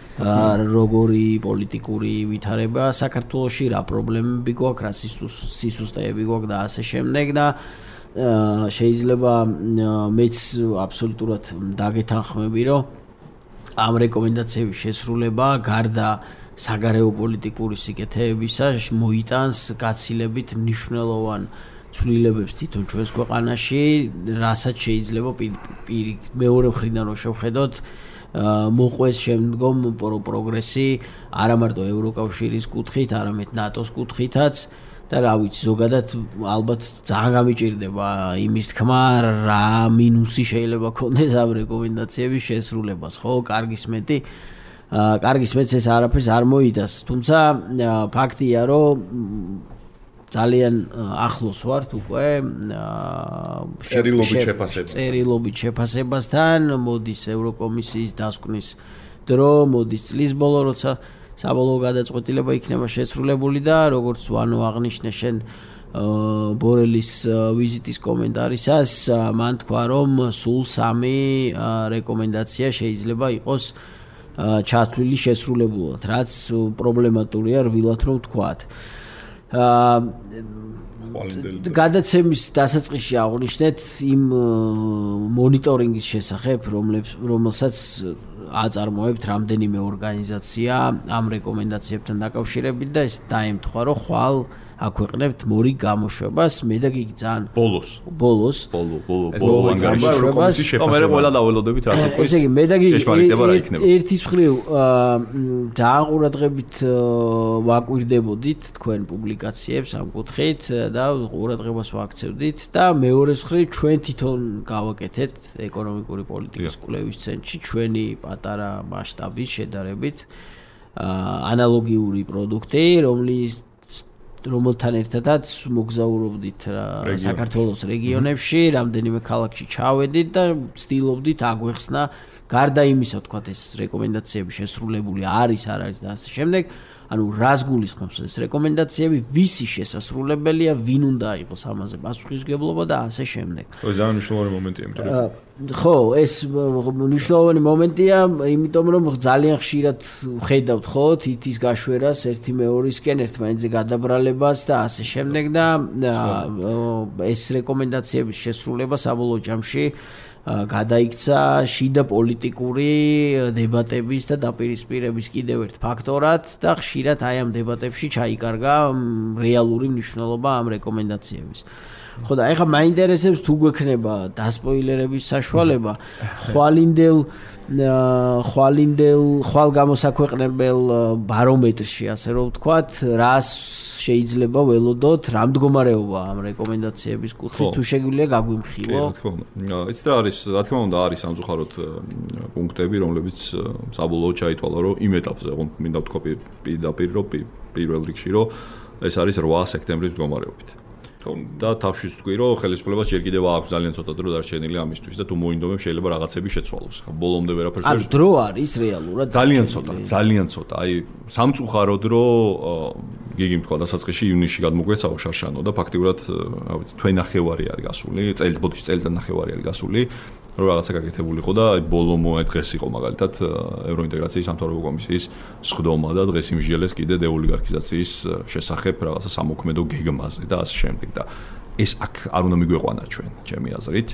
როგორი პოლიტიკური ვითარება საქართველოში, რა პრობლემები გვაქვს, რა სისუსტეები გვაქვს და ასე შემდეგ და შეიძლება მეც აბსოლუტურად დაგეთანხმები, რომ ამ რეკომენდაციების შესრულება გარდა საგარეო პოლიტიკური სიკეთეებისა მოიტანს გაცილებით მნიშვნელოვან ცვლილებებს თვითონ ჩვენს ქვეყანაში, რასაც შეიძლება პირი მეორე მხრიდან რო შევხედოთ, მოყვეს შემდგომ პროგრესი არა მარტო ევროკავშირის კუთხით, არამედ ნატოს კუთხითაც და რა ვიცი, ზოგადად ალბათ ძალიან გამიჭირდება იმის თქმა, რა მინუსი შეიძლება ქონდეს ამ რეკომენდაციების შესრულებას, ხო, კარგის მეტი კარგის მეც ეს არაფერს არ მოიტანს, თუმცა ფაქტია, რომ ძალიან ახლოს ვართ უკვე წერილობით შეფასებას. წერილობით შეფასებასთან, მოდის ევროკომისიის დასკვნის დრო, მოდის წლის ბოლო, როცა საბოლოო გადაწყვეტილება იქნება შესრულებული და როგორც ვანო აღნიშნე შენ ბორელის ვიზიტის კომენტარისას, მან თქვა, რომ სულ სამი რეკომენდაცია შეიძლება იყოს ჩათვლილი შესრულებულად, რაც პრობლემატურია რბილად რომ ვთქვათ. გადაცემის დასაწყისში აღნიშნეთ იმ მონიტორინგის შესახებ, რომელსაც აწარმოებთ რამდენიმე ორგანიზაცია ამ რეკომენდაციებთან დაკავშირებით და ეს დაემთხვა, რომ ხვალ აქვეყნებთ მორიგ გამოშვებას, მე და გიგი ძალიან ბოლოს ბოლოს ბოლო ბოლო ბოლო ანგარიშის კომისიის შეფასება. მე ყველა დაველოდებით რა თქმა უნდა. ესე იგი მე და გიგი ერთის მხრივ ძალიან ყურადღებით ვაკვირდებოდით თქვენ პუბლიკაციებს ამ კუთხით და ყურადღებას ვაქცევდით და მეორეს მხრივ ჩვენ თვითონ გავაკეთეთ ეკონომიკური პოლიტიკის კვლევის ცენტრში ჩვენი პატარა მასშტაბის შედარებით ანალოგიური პროდუქტი, რომლის რომელთან ერთადაც მოგზაურობდით საქართველოს რეგიონებში, რამდენიმე ქალაქში ჩავედით და ვცდილობდით აგვეხსნა გარდა იმისა, თქვათ ეს რეკომენდაციები შესრულებული არის, არ არის და ასე შემდეგ. ანუ რას გულისხმობს ეს რეკომენდაციები, ვისი შესასრულებელია, ვინ უნდა იყოს ამაზე პასუხისმგებლობა და ასე შემდეგ. ой, ძალიან მნიშვნელოვანი მომენტია, იმიტომ რომ ხო, ეს მნიშვნელოვანი მომენტია, იმიტომ რომ ძალიან ხშირად ვხედავთ ხო თითის გაშვერას ერთი მეორისკენ, ერთმანეთზე გადაბრალებას და ასე შემდეგ და ეს რეკომენდაციების შესრულება საბოლოო ჯამში გადაიქცა შიდა პოლიტიკური დებატების და დაპირისპირების კიდევ ერთ ფაქტორად და ხშირად აი ამ დებატებში ჩაიკარგა რეალური მნიშვნელობა ამ რეკომენდაციების. ხო და ეხლა მაინტერესებს თუ გვექნება დასპოილერების საშუალება, ხვალინდელ ხვალინდელ ხვალ გამოსაქვეყნებელ ბარომეტრში, ასე რომ ვთქვათ, რას შეიძლება ველოდოთ, რა მდგომარეობა ამ რეკომენდაციების კუთხით, თუ შეგვიძლია გაგვიმხილო. იცით რა არის, რა თქმა უნდა არის სამწუხაროდ პუნქტები, რომლებიც საბოლოოდ ჩაითვალა, რომ იმ ეტაპზე, რომ მინდა ვთქვა პირდაპირ, რომ პირველ რიგში, რომ ეს არის რვა სექტემბრის მდგომარეობით. და თავშიც თქვი, რომ ხელისუფლებას ჯერ კიდევ აქვს ძალიან ცოტა დრო დარჩენილი ამისთვის და თუ მოინდომებს შეიძლება რაღაცები შეცვალოს. ხა ბოლომდე ვერაფერს არ დრო არის რეალურად ძალიან ცოტა, ძალიან ცოტა. აი სამწუხაროდ რომ გიგი თქვა დასაწყისში ივნისში გადმოგვეცაო შარშანო და ფაქტიურად რა ვიცი თვე ნახევარი არის გასული, წელი ბოდიში წელიწად ნახევარი არის გასული. რომ რაღაცა გაკეთებულიყო და აი ბოლო დღეს იყო მაგალითად ევროინტეგრაციის სამთავრობო კომისიის სხდომა და დღეს იმსჯელეს კიდე დეოლიგარქიზაციის შესახებ რაღაცა სამოქმედო გეგმაზე და ასე შემდეგ და ეს აქ არ უნდა მიგვეყვანა ჩვენ ჩემი აზრით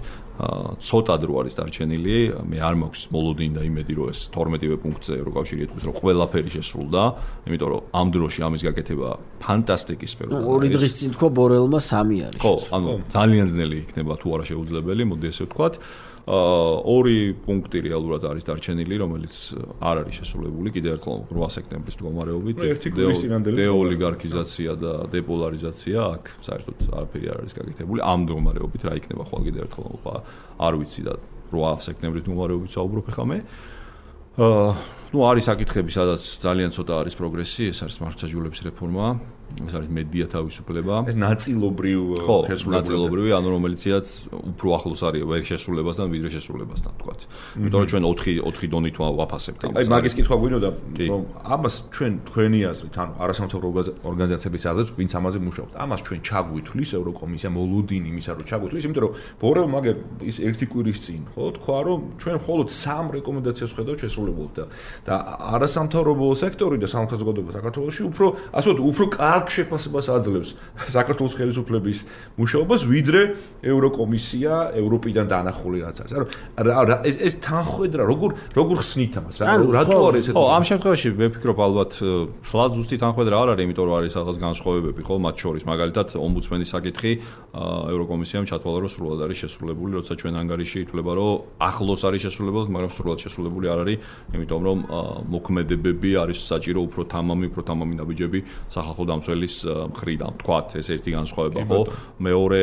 ცოტა დრო არის დარჩენილი მე არ მაქვს მოლოდინი და იმედი რომ ეს თორმეტივე პუნქტზე ევროკავშირი ეთქვის რომ ყველაფერი შესრულდა იმიტომ რომ ამ დროში ამის გაკეთება ფანტასტიკის სფეროა ორი დღის წინ თქვა ბორელმა სამი არის ხო ანუ ძალიან ძნელი იქნება თუ არა შეუძლებელი მოდი ესე ვთქვათ ორი პუნქტი რეალურად არის დარჩენილი, რომელიც არ არის შესრულებული კიდევ ერთხელ რვა სექტემბრის მდგომარეობით. დეოლიგარქიზაცია და დეპოლარიზაცია აქ საერთოდ არაფერი არ არის გაკეთებული. ამ მდგომარეობით რა იქნება ხვალ კიდევ ერთხელ არ ვიცი და რვა სექტემბრის მდგომარეობით საუბრობ ხა მე. აა ნუ არის საკითხები, სადაც ძალიან ცოტა არის პროგრესი, ეს არის მართლმსაჯულების რეფორმა. ეს არის მედია თავისუფლება. ეს ნაწილობრივ შესრულებული, ნაწილობრივი, ანუ რომელიცაც უფრო ახლოს არის ვერ შესრულებასთან, ვიდრე შესრულებასთან, თქვათ. იმიტომ რომ ჩვენ ოთხი ოთხი დონით ვაფასებთ ამას. აი მაგის კითხვა გვინდოდა, რომ ამას ჩვენ თქვენი აზრით, ანუ არასამთავრობო ორგანიზაციების აზრით, ვინც ამაზე მუშაობთ, ამას ჩვენ ჩაგვითვლის ევროკომისია მოლოდინი იმისა, რომ ჩაგვითვლის, იმიტომ რომ ბორელ მაგერ ის ერთი კვირის წინ, ხო, თქვა, რომ ჩვენ მხოლოდ სამ რეკომენდაციას ხედავთ შესრულებულ და და არასამთავრობო სექტორი და სამართალ საზოგადოება საქართველოში უფრო, ასე ვთქვათ, უფრო კარგ შეფასებას აძლევს საქართველოს ხელისუფლების მუშაობას, ვიდრე ევროკომისია, ევროპიდან დაანახული რაც არის. ანუ ეს ეს თანხმედრა როგორ როგორ ხსნით ამას? რა რატო არის ესეთი? ხო, ამ შემთხვევაში მე ვფიქრობ ალბათ ფლად ზუსტი თანხმედრა არ არის, იმიტომ რომ არის რაღაც განსხვავებები, ხო, მათ შორის. მაგალითად, ომბუდსმენის საკითხი ევროკომისიამ ჩათვალა, რომ სრულად არის შესრულებული, როცა ჩვენ ანგარიში ითვლება, რომ ახლოს არის შესრულებული, მაგრამ სრულად შესრულებული არ არის, იმიტომ რომ მოქმედებები არის საჭირო უფრო თამამი, უფრო თამამი ნაბიჯები სახალხო დამცველის მხრიდან. თქვათ, ეს ერთი განსხვავება, ხო? მეორე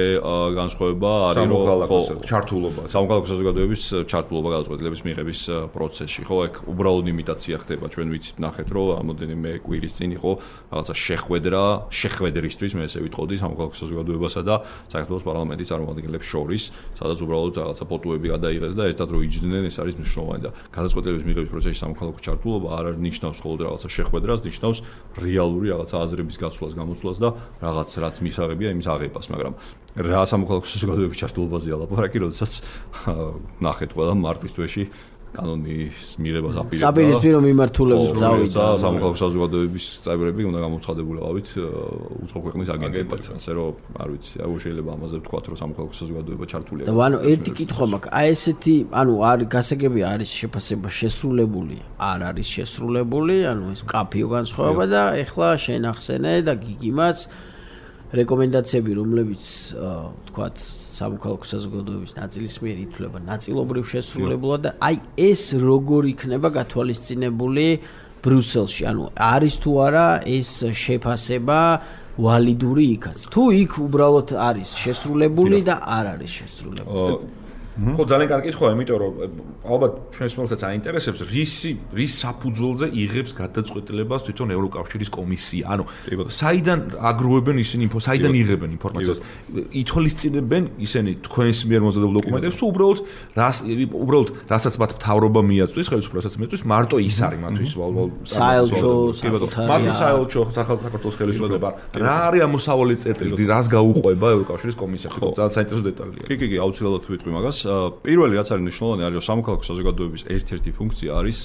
განსხვავება არის, რომ ხო, ჩართულობა, სამოქალაქო საზოგადოების ჩართულობა გადაწყვეტილების მიღების პროცესში, ხო? ეგ უბრალოდ იმიტაცია ხდება. ჩვენ ვიცით, ნახეთ, რომ რამოდენიმე კვირის წინ იყო რაღაცა შეხვედრა, შეხვედრისთვის, მე ესე ვიტყოდი, სამოქალაქო საზოგადოებასა და საქართველოს პარლამენტის წარმომადგენლებს შორის, სადაც უბრალოდ რაღაცა ფოტოები გადაიღეს და ერთად რო იჯდნენ, ეს არის მნიშვნელოვანი და გადაწყვეტილების მიღების პროცესში სამოქალაქო ჩართულობა არ არის ნიშნავს მხოლოდ რაღაცა შეხვედრას, ნიშნავს რეალური რაღაცა აზრების გაცვლას, გამოცვლას და რაღაც რაც მისაღებია იმის აღებას, მაგრამ რა სამოქალაქო საზოგადოების ჩართულობაზეა ლაპარაკი, როდესაც ნახეთ ყველა მარტის თვეში კანონის მიღებას აპირებდა. საპირისპირო მიმართულებით წავიდა. სამოქალაქო საზოგადოების წევრები უნდა გამოცხადებულიყავით უცხო ქვეყნის აგენტებად. ასე რომ არ ვიცი, აუ შეიძლება ამაზე ვთქვათ, რომ სამოქალაქო საზოგადოება ჩართულია. და ანუ ერთი კითხვა მაქვს, აი ესეთი, ანუ არ გასაგებია არის შეფასება შესრულებული, არ არის შესრულებული, ანუ ეს კაფეო განსხვავება და ეხლა შენ ახსენე და გიგიმაც რეკომენდაციები, რომლებიც ვთქვათ სამოქალაქო საზოგადოების ნაწილის მიერ ითვლება ნაწილობრივ შესრულებულად და აი ეს როგორ იქნება გათვალისწინებული ბრიუსელში, ანუ არის თუ არა ეს შეფასება ვალიდური იქაც. თუ იქ უბრალოდ არის შესრულებული და არ არის შესრულებული. ხო, ძალიან კარგი კითხვაა, იმიტომ რომ ალბათ ჩვენს მომცაც აინტერესებს რისი რის საფუძველზე იღებს გადაწყვეტილებას თვითონ ევროკავშირის კომისია. ანუ საიდან აგროვებენ ისინი ინფო, საიდან იღებენ ინფორმაციას? ითვალისწინებენ ისინი თქვენს მიერ მოზადებულ დოკუმენტებს თუ უბრალოდ რას უბრალოდ რასაც მათ მთავრობა მიაწვდის, ხელისუფლებასაც მიაწვდის, მარტო ის არის მათთვის საელჩო, საკუთარი მათი საელჩო, საქართველოს ხელისუფლება. რა არის ამოსავალი წერტილი, რას გაუყვება ევროკავშირის კომისია? ხო, ძალიან საინტერესო დეტალია. კი, კი, კი, აუცილებლად ვიტყვი მაგას. პირველი რაც არის მნიშვნელოვანი არის რომ სამოქალაქო საზოგადოების ერთ-ერთი ფუნქცია არის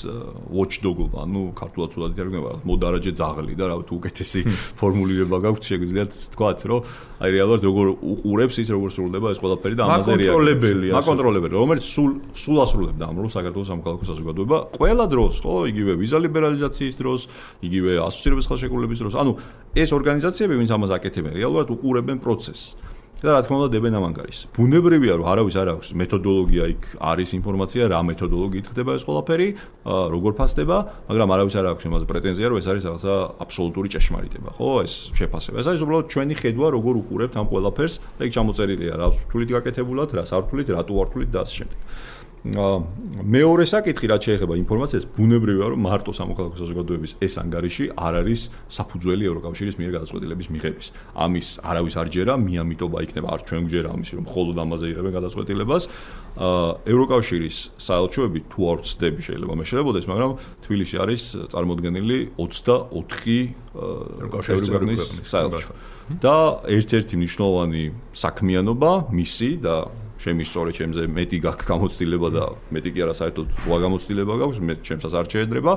watchdog-ობა, ანუ ქართულად ცუდად ითარგმნება მოდარაჯე ძაღლი და რა ვიცი უკეთესი ფორმულირება გაქვთ შეგვიძლიათ თქვათ რომ აი რეალურად როგორ უყურებს ის როგორ სრულდება ეს ყველაფერი და ამაზე მაკონტროლებელია. მაკონტროლებელი, რომელიც სულ სულ ასრულებდა ამ როლს საქართველოს სამოქალაქო საზოგადოება ყველა დროს, ხო, იგივე ვიზა ლიბერალიზაციის დროს, იგივე ასოცირების ხელშეკრულების დროს. ანუ ეს ორგანიზაციები ვინც ამას აკეთებენ, რეალურად უყურებენ პროცესს. და რა თქმა უნდა დებენ ამ ანგარიშს. ბუნებრივია რომ არავის არ აქვს მეთოდოლოგია იქ არის ინფორმაცია რა მეთოდოლოგიით ხდება ეს ყველაფერი, როგორ ფასდება, მაგრამ არავის არ აქვს იმაზე პრეტენზია რომ ეს არის რაღაცა აბსოლუტური ჭეშმარიტება, ხო, ეს შეფასება. ეს არის უბრალოდ ჩვენი ხედვა როგორ უყურებთ ამ ყველაფერს და იქ ჩამოწერილია რა რთულით გაკეთებულად, რა სართულით, რატო რთულით და ასე შემდეგ. მეორე საკითხი რაც შეეხება ინფორმაციას, ბუნებრივია რომ მარტო სამოქალაქო საზოგადოების ეს ანგარიში არ არის საფუძველი ევროკავშირის მიერ გადაწყვეტილების მიღების. ამის არავის არ ჯერა, მიამიტობა იქნება არ ჩვენ გვჯერა ამის რომ მხოლოდ ამაზე იღებენ გადაწყვეტილებას. ევროკავშირის საელჩოები თუ არ ვცდები შეიძლება მე შელებოდეს, მაგრამ თბილისში არის წარმოდგენილი ოცდაოთხი ევროკავშირის საელჩო. და ერთ-ერთი მნიშვნელოვანი საქმიანობა მისი და შემისწორე ჩემზე მეტი გაქვს გამოცდილება და მეტი კი არა საერთოდ სხვა გამოცდილება გაქვს, მე ჩემსაც არ შეედრება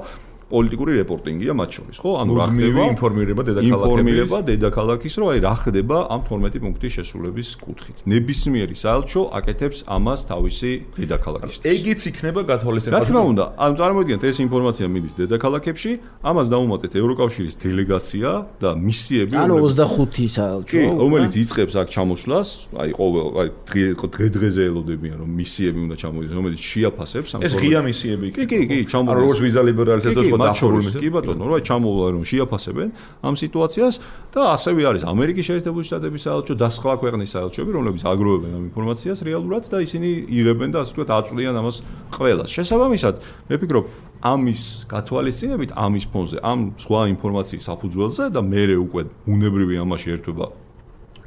პოლიტიკური რეპორტინგია მათ შორის, ხო? ანუ რა ხდება ინფორმირება დედაქალაქების ინფორმირება დედაქალაქის, რომ აი რა ხდება ამ თორმეტი პუნქტის შესრულების კუთხით. ნებისმიერი საელჩო აკეთებს ამას თავისი დედაქალაქის. ეგიც იქნება გათვალისწინებული. რა თქმა უნდა, ანუ წარმოგიდგენთ ეს ინფორმაცია მიდის დედაქალაქებში, ამას დაუმატეთ ევროკავშირის დელეგაცია და მისიები, ანუ ოცდახუთი საელჩო, რომელიც იწყებს აქ ჩამოსვლას, აი ყოველ აი დღე-დღეზე ელოდებიან რომ მისიები უნდა ჩამოვიდეს, რომელიც შეაფასებს ამ ეს ღია მისიები კი, კი, კი, ჩამოვიდეს. ანუ როგორც ვიზა ლიბერალიზაცია კი ბატონო, რა ჩამოვალ რომ შეაფასებენ ამ სიტუაციას და ასევე არის ამერიკის შეერთებული შტატების საელჩო და სხვა ქვეყნის საელჩოები, რომლებიც აგროვებენ ამ ინფორმაციას რეალურად და ისინი იღებენ და ასე ვთქვათ აწვდიან ამას ყველას. შესაბამისად, მე ვფიქრობ, ამის გათვალისწინებით, ამის ფონზე, ამ სხვა ინფორმაციის საფუძველზე და მერე უკვე უნებრივი ამაში ერთვება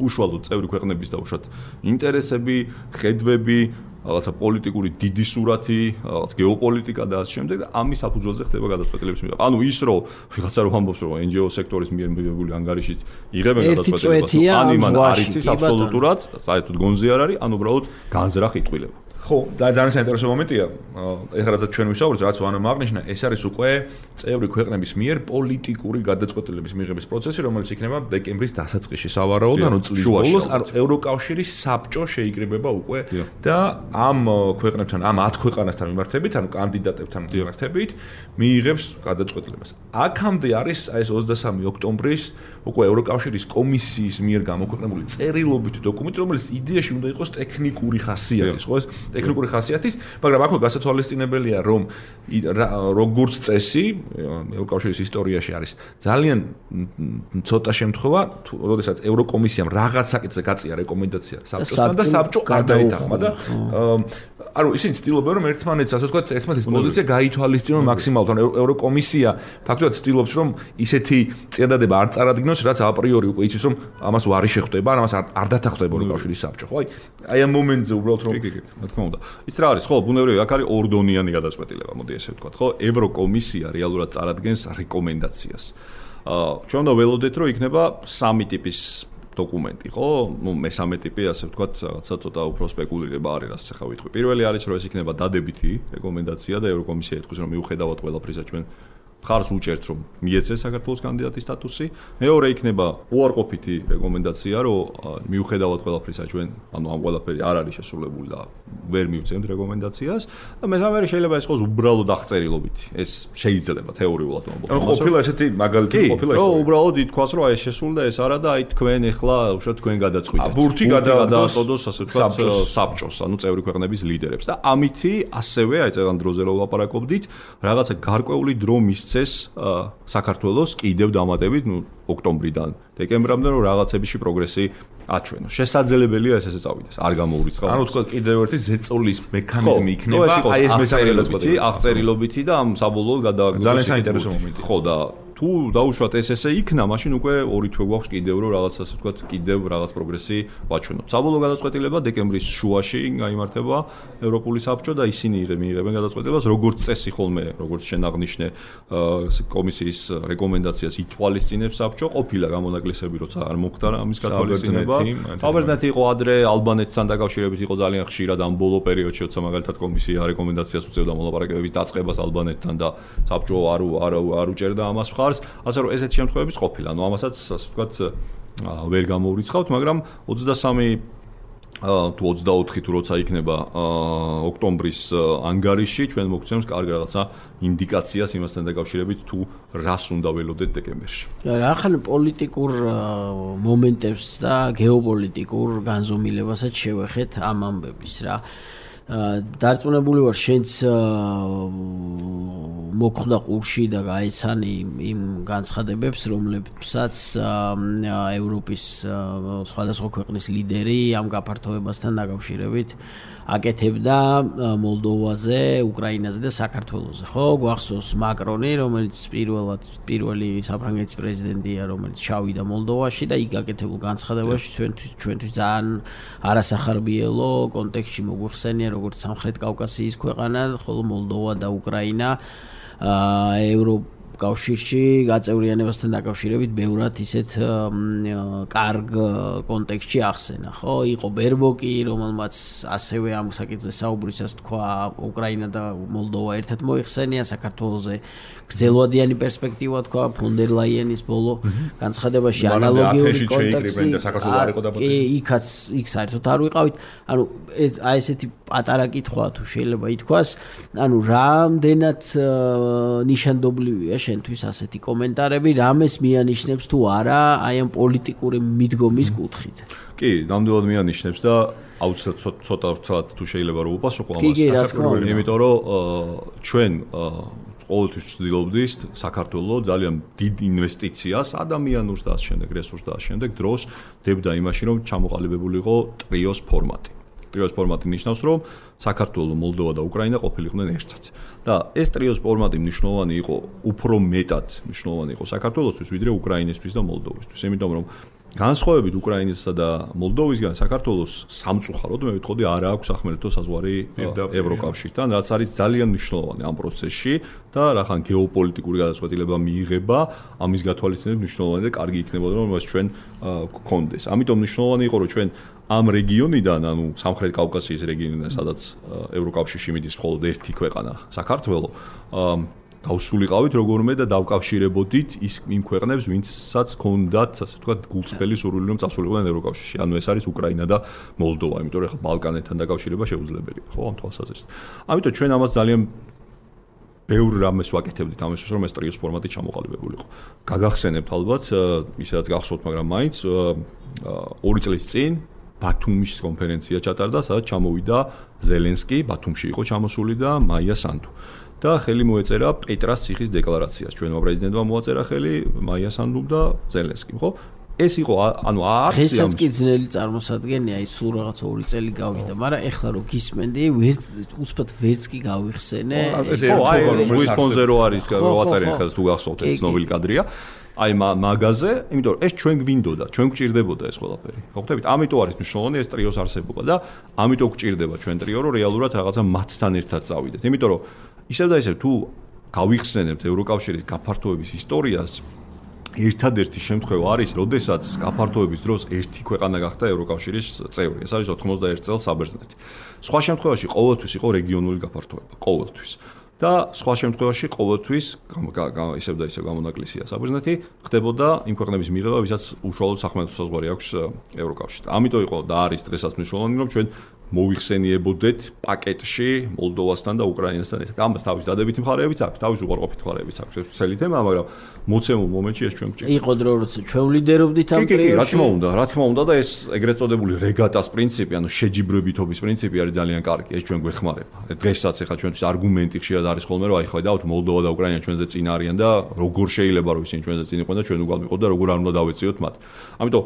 უშუალოდ წევრი ქვეყნების და უშუალოდ ინტერესები, ხედვები, რაღაცა პოლიტიკური დიდი სურათი, რაღაც გეოპოლიტიკა და ასე შემდეგ და ამის საფუძველზე ხდება გადაწყვეტილების მიღება. ანუ ის რომ ვიღაცა რომ ამბობს რომ en ge o სექტორის მიერ მიღებული ანგარიშით იღებენ გადაწყვეტილებას, ან იმან არ იცის აბსოლუტურად, საერთოდ გონზე არ არის, ან უბრალოდ განზრახ იტყვილება. ხო, და ძალიან საინტერესო მომენტია. ეხლა რაც ჩვენ ვისაუბრეთ, რაც ვანომ აღნიშნა, ეს არის უკვე წევრი ქვეყნების მიერ პოლიტიკური გადაწყვეტილების მიღების პროცესი, რომელიც იქნება დეკემბრის დასაწყისში სავარაუდოდ, ანუ წლის ბოლოს, ანუ ევროკავშირის საბჭო შეიკრიბება უკვე და ამ ქვეყნებთან, ამ ათ ქვეყანასთან მიმართებით, ანუ კანდიდატებთან მიმართებით, მიიღებს გადაწყვეტილებას. აქამდე არის აი ეს ოცდასამი ოქტომბრის უკვე ევროკავშირის კომისიის მიერ გამოქვეყნებული წერილობითი დოკუმენტი, რომელიც იდეაში უნდა იყოს ტექნიკური ხასიათის, ხო ეს ტექნიკური ხასიათის, მაგრამ აქვე გასათვალისწინებელია, რომ როგორც წესი ევროკავშირის ისტორიაში არის ძალიან ცოტა შემთხვევა, როდესაც ევროკომისიამ რაღაც საკითხზე გაწია რეკომენდაცია საბჭოსთან და საბჭო არ დაეთანხმა და ანუ ისინი ცდილობენ რომ ერთმანეთს ასე ვთქვათ, ერთმანეთის პოზიცია გაითვალისწინონ მაქსიმალურად. ანუ ევროკომისია ფაქტობრივად ცდილობს რომ ისეთი წინადადება არ წარადგინოს, რაც აპრიორი უკვე იცის რომ ამას უარი შეხვდება, ამას არ დათანხმდება ევროკავშირის საბჭო, ხო? აი აი ამ მომენტზე უბრალოდ რომ კი, კი, რა თქმა უნდა. ის რა არის, ხო, ბუნებრივია, აქ არის ორდონიანი გადაწყვეტილება, მოდი ესე ვთქვათ, ხო? ევროკომისია რეალურად წარადგენს რეკომენდაციას. აა ჩვენ უნდა ველოდეთ, რომ იქნება სამი ტიპის დოკუმენტი, ხო? ნუ მესამე ტიპი, ასე ვთქვათ, რაღაცა ცოტა უფრო სპეკულირება არის, რაც ახლა ვიტყვი. პირველი არის, რომ ეს იქნება დადებითი რეკომენდაცია და ევროკომისია ეთქვის, რომ მიუხედავად ყველაფრისა ჩვენ მხარს უჭერთ, რომ მიეცეს საქართველოს კანდიდატის სტატუსი. მეორე იქნება უარყოფითი რეკომენდაცია, რომ მიუხედავად ყველაფრისა ჩვენ, ანუ ამ ყველაფერი არ არის შესრულებული და ვერ მივცემთ რეკომენდაციას და მესამე შეიძლება ეს იყოს უბრალოდ აღწერილობითი. ეს შეიძლება თეორიულად მომბოლო. ანუ ყოფილა ესეთი მაგალითი ყოფილა ისტორია. რომ უბრალოდ ითქვას, რომ აი ეს შესრულდა ეს არა და აი თქვენ ეხლა უშუალოდ თქვენ გადაწყვიტეთ. ბურთი გადაადოს ასე ვთქვათ საბჭოს, ანუ წევრი ქვეყნების ლიდერებს და ამითი ასევე აი წეგან დროზე რო ვლაპარაკობდით, რაღაცა გარკვეული დრო მისცეს საქართველოს კიდევ დამატებით, ნუ ოქტომბრიდან დეკემბრამდე რომ რაღაცებიში პროგრესი აჩვენოს. შესაძლებელია ეს ესე წავიდეს. არ გამოურიცხავ. ანუ თქვა კიდევ ერთი ზეწოლის მექანიზმი იქნება, აი ეს მესამე აღწერილობითი და ამ საბოლოოდ გადააგდოს. ძალიან საინტერესო მომენტი. ხო და თუ დაუშვათ ეს ესე იქნა, მაშინ უკვე ორი თვე გვაქვს კიდევ რომ რაღაც ასე ვთქვათ, კიდევ რაღაც პროგრესი ვაჩვენოთ. საბოლოო გადაწყვეტილება დეკემბრის შუაში გაიმართება ევროპული საბჭო და ისინი მიიღებენ გადაწყვეტილებას, როგორც წესი ხოლმე, როგორც შენ აღნიშნე, კომისიის რეკომენდაციას ითვალისწინებს საბჭო, ყოფილა გამონაკლისები, როცა არ მოხდა ამის გათვალისწინება. საბერძნეთი იყო ადრე, ალბანეთთან დაკავშირებით იყო ძალიან ხშირად ამ ბოლო პერიოდში, როცა მაგალითად კომისია რეკომენდაციას უწევდა მოლაპარაკებების დაწყებას ალბანეთთან და საბჭო არ არ არ უჭერდა ამას მხარს. ასე რომ ესეთი შემთხვევებიც ყოფილა. ანუ ამასაც ასე ვთქვათ ვერ გამოურიცხავთ, მაგრამ ოცდასამი თუ ოცდაოთხი თუ როცა იქნება ოქტომბრის ანგარიში, ჩვენ მოგცემს კარგ რაღაცა ინდიკაციას იმასთან დაკავშირებით თუ რას უნდა ველოდეთ დეკემბერში. რა ხან პოლიტიკურ მომენტებს და გეოპოლიტიკურ განზომილებასაც შევეხეთ ამ ამბების რა. დარწმუნებული ვარ შენც მოხვდა ყურში და გაეცანი იმ განცხადებებს, რომლებსაც ევროპის სხვადასხვა ქვეყნის ლიდერი ამ გაფართოებასთან დაკავშირებით აკეთებდა მოლდოვაზე, უკრაინაზე და საქართველოზე. ხო, გვახსოვს მაკრონი, რომელიც პირველად პირველი საფრანგეთის პრეზიდენტია, რომელიც ჩავიდა მოლდოვაში და იქ გაკეთებულ განცხადებაში ჩვენთვის ძალიან არასახარბიელო კონტექსტში მოგვიხსენია, როგორც სამხრეთ კავკასიის ქვეყანა, ხოლო მოლდოვა და უკრაინა ევროპ კავშირში გაწევრიანებასთან დაკავშირებით ბევრად ისეთ კარგ კონტექსტში ახსენა, ხო? იყო ბერბოკი, რომელმაც ასევე ამ საკითხზე საუბრისას თქვა, უკრაინა და მოლდოვა ერთად მოიხსენია, საქართველოზე გრძელვადიანი პერსპექტივა თქვა, ფონ დერ ლაიენის ბოლო განცხადებაში ანალოგიური კონტექსტი. კი, იქაც იქ საერთოდ არ ვიყავით. ანუ აი ესეთი პატარა კითხვა თუ შეიძლება ითქვას, ანუ რამდენად ნიშანდობლივია შენთვის ასეთი კომენტარები, რამეს მიანიშნებს თუ არა აი ამ პოლიტიკური მიდგომის კუთხით. კი, ნამდვილად მიანიშნებს და აუცილებლად ცოტა ცოტა თუ შეიძლება რომ უპასუხო ამას. იმიტომ რომ ჩვენ ყოველთვის ვცდილობდით საქართველოს ძალიან დიდ ინვესტიციას, ადამიანურს და ამ შემდეგ რესურსს და ამ შემდეგ დროს დებდა იმაში, რომ ჩამოყალიბებული იყო ტრიოს ფორმატი. ტრიოს ფორმატი ნიშნავს, რომ საქართველო, მოლდოვა და უკრაინა ყოფილიყვნენ ერთად. და ეს ტრიოს ფორმატი მნიშვნელოვანი იყო, უფრო მეტად მნიშვნელოვანი იყო საქართველოსთვის, ვიდრე უკრაინისთვის და მოლდოვისთვის. იმიტომ რომ განსხვავებით უკრაინისა და მოლდოვისგან საქართველოს სამწუხაროდ მე ვიტყოდი არ აქვს ახმერეთო საზღვარი ევროკავშირთან, რაც არის ძალიან მნიშვნელოვანი ამ პროცესში და რახან გეოპოლიტიკური გადაწყვეტილება მიიღება, ამის გათვალისწინებით მნიშვნელოვანი და კარგი იქნებოდა რომ მას ჩვენ გქონდეს. ამიტომ მნიშვნელოვანი იყო რომ ჩვენ ამ რეგიონიდან, ანუ სამხრეთ კავკასიის რეგიონიდან, სადაც ევროკავშირში მიდის მხოლოდ ერთი ქვეყანა, საქართველო, გავსულიყავით როგორმე და დავკავშირებოდით ის იმ ქვეყნებს, ვინცაც ჰქონდათ, ასე ვთქვათ, გულწრფელი სურვილი რომ წასულიყვნენ ევროკავშირში. ანუ ეს არის უკრაინა და მოლდოვა, იმიტომ რომ ახლა ბალკანეთთან დაკავშირება შეუძლებელია, ხო, ამ თვალსაზრისით. ამიტომ ჩვენ ამას ძალიან ბევრ რამეს ვაკეთებდით ამისთვის, რომ ეს ტრიოს ფორმატი ჩამოყალიბებულიყო. გაგახსენებთ ალბათ, ისედაც გახსოვთ, მაგრამ მაინც ორი წლის წინ ბათუმის კონფერენცია ჩატარდა, სადაც ჩამოვიდა ზელენსკი, ბათუმში იყო ჩამოსული და მაია სანდუ. და ხელი მოეწერა პეტრას ციხის დეკლარაციას. ჩვენმა პრეზიდენტმა მოაწერა ხელი მაია სანდუმ და ზელენსკიმ, ხო? ეს იყო, ანუ არც ამ კი ძნელი წარმოსადგენია, ის სულ რაღაც ორი წელი გავიდა, მაგრამ ეხლა რო გისმენდი, ვერც უცბად ვერც კი გავიხსენე. ხო, აი, რუის პონზერო არის, როაწერენ ხელს თუ გახსოვთ, ეს ცნობილი კადრია. აი მაგაზე, იმიტომ რომ ეს ჩვენ გვინდოდა, ჩვენ გვჭირდებოდა ეს ყველაფერი. ხოხტებით? ამიტომ არის მნიშვნელოვანი ეს ტრიოს არსებობა და ამიტომ გვჭირდება ჩვენ ტრიო, რომ რეალურად რაღაცა მათთან ერთად წავიდეთ. იმიტომ რომ ისევ და ისევ თუ გავიხსენებთ ევროკავშირის გაფართოების ისტორიას, ერთადერთი შემთხვევა არის, როდესაც გაფართოების დროს ერთი ქვეყანა გახდა ევროკავშირის წევრი. ეს არის ოთხმოცდაერთი წელს საბერძნეთი. სხვა შემთხვევაში ყოველთვის იყო რეგიონული გაფართოება, ყოველთვის. და სხვა შემთხვევაში ყოველთვის ისევ და ისევ გამონაკლისია საბერძნეთი, ხდებოდა იმ ქვეყნების მიღება, ვისაც უშუალოდ სახმელეთო საზღვარი აქვს ევროკავშირთან. ამიტომ იყო და არის დღესაც მნიშვნელოვანი, რომ ჩვენ მოიხსენიებოდეთ პაკეტში მოლდოვასთან და უკრაინასთან ერთად. ამას თავის დადებითი მხარეებიც აქვს, თავის უყურყოფით მხარეებიც აქვს. ეს ცელი თემა, მაგრამ მოცემულ მომენტში ეს ჩვენ გვჭირდება. იყო დრო, როცა ჩვენ ვლიდერობდით ამ ტრიოში. კი, კი, რა თქმა უნდა, რა თქმა უნდა და ეს ეგრეთ წოდებული რეგატას პრინციპი, ანუ შეჯიბრებითობის პრინციპი არის ძალიან კარგი. ეს ჩვენ გვეხმარება. დღესაც ახლა ჩვენთვის არგუმენტი ხშირად არის ხოლმე, რომ აი ხედავთ მოლდოვა და უკრაინა ჩვენზე წინ არიან და როგორ შეიძლება რომ ისინი ჩვენზე წინ იყვნენ და ჩვენ უგალ ვიყოთ და როგორ არ უნდა დავეციოთ მათ. ამიტომ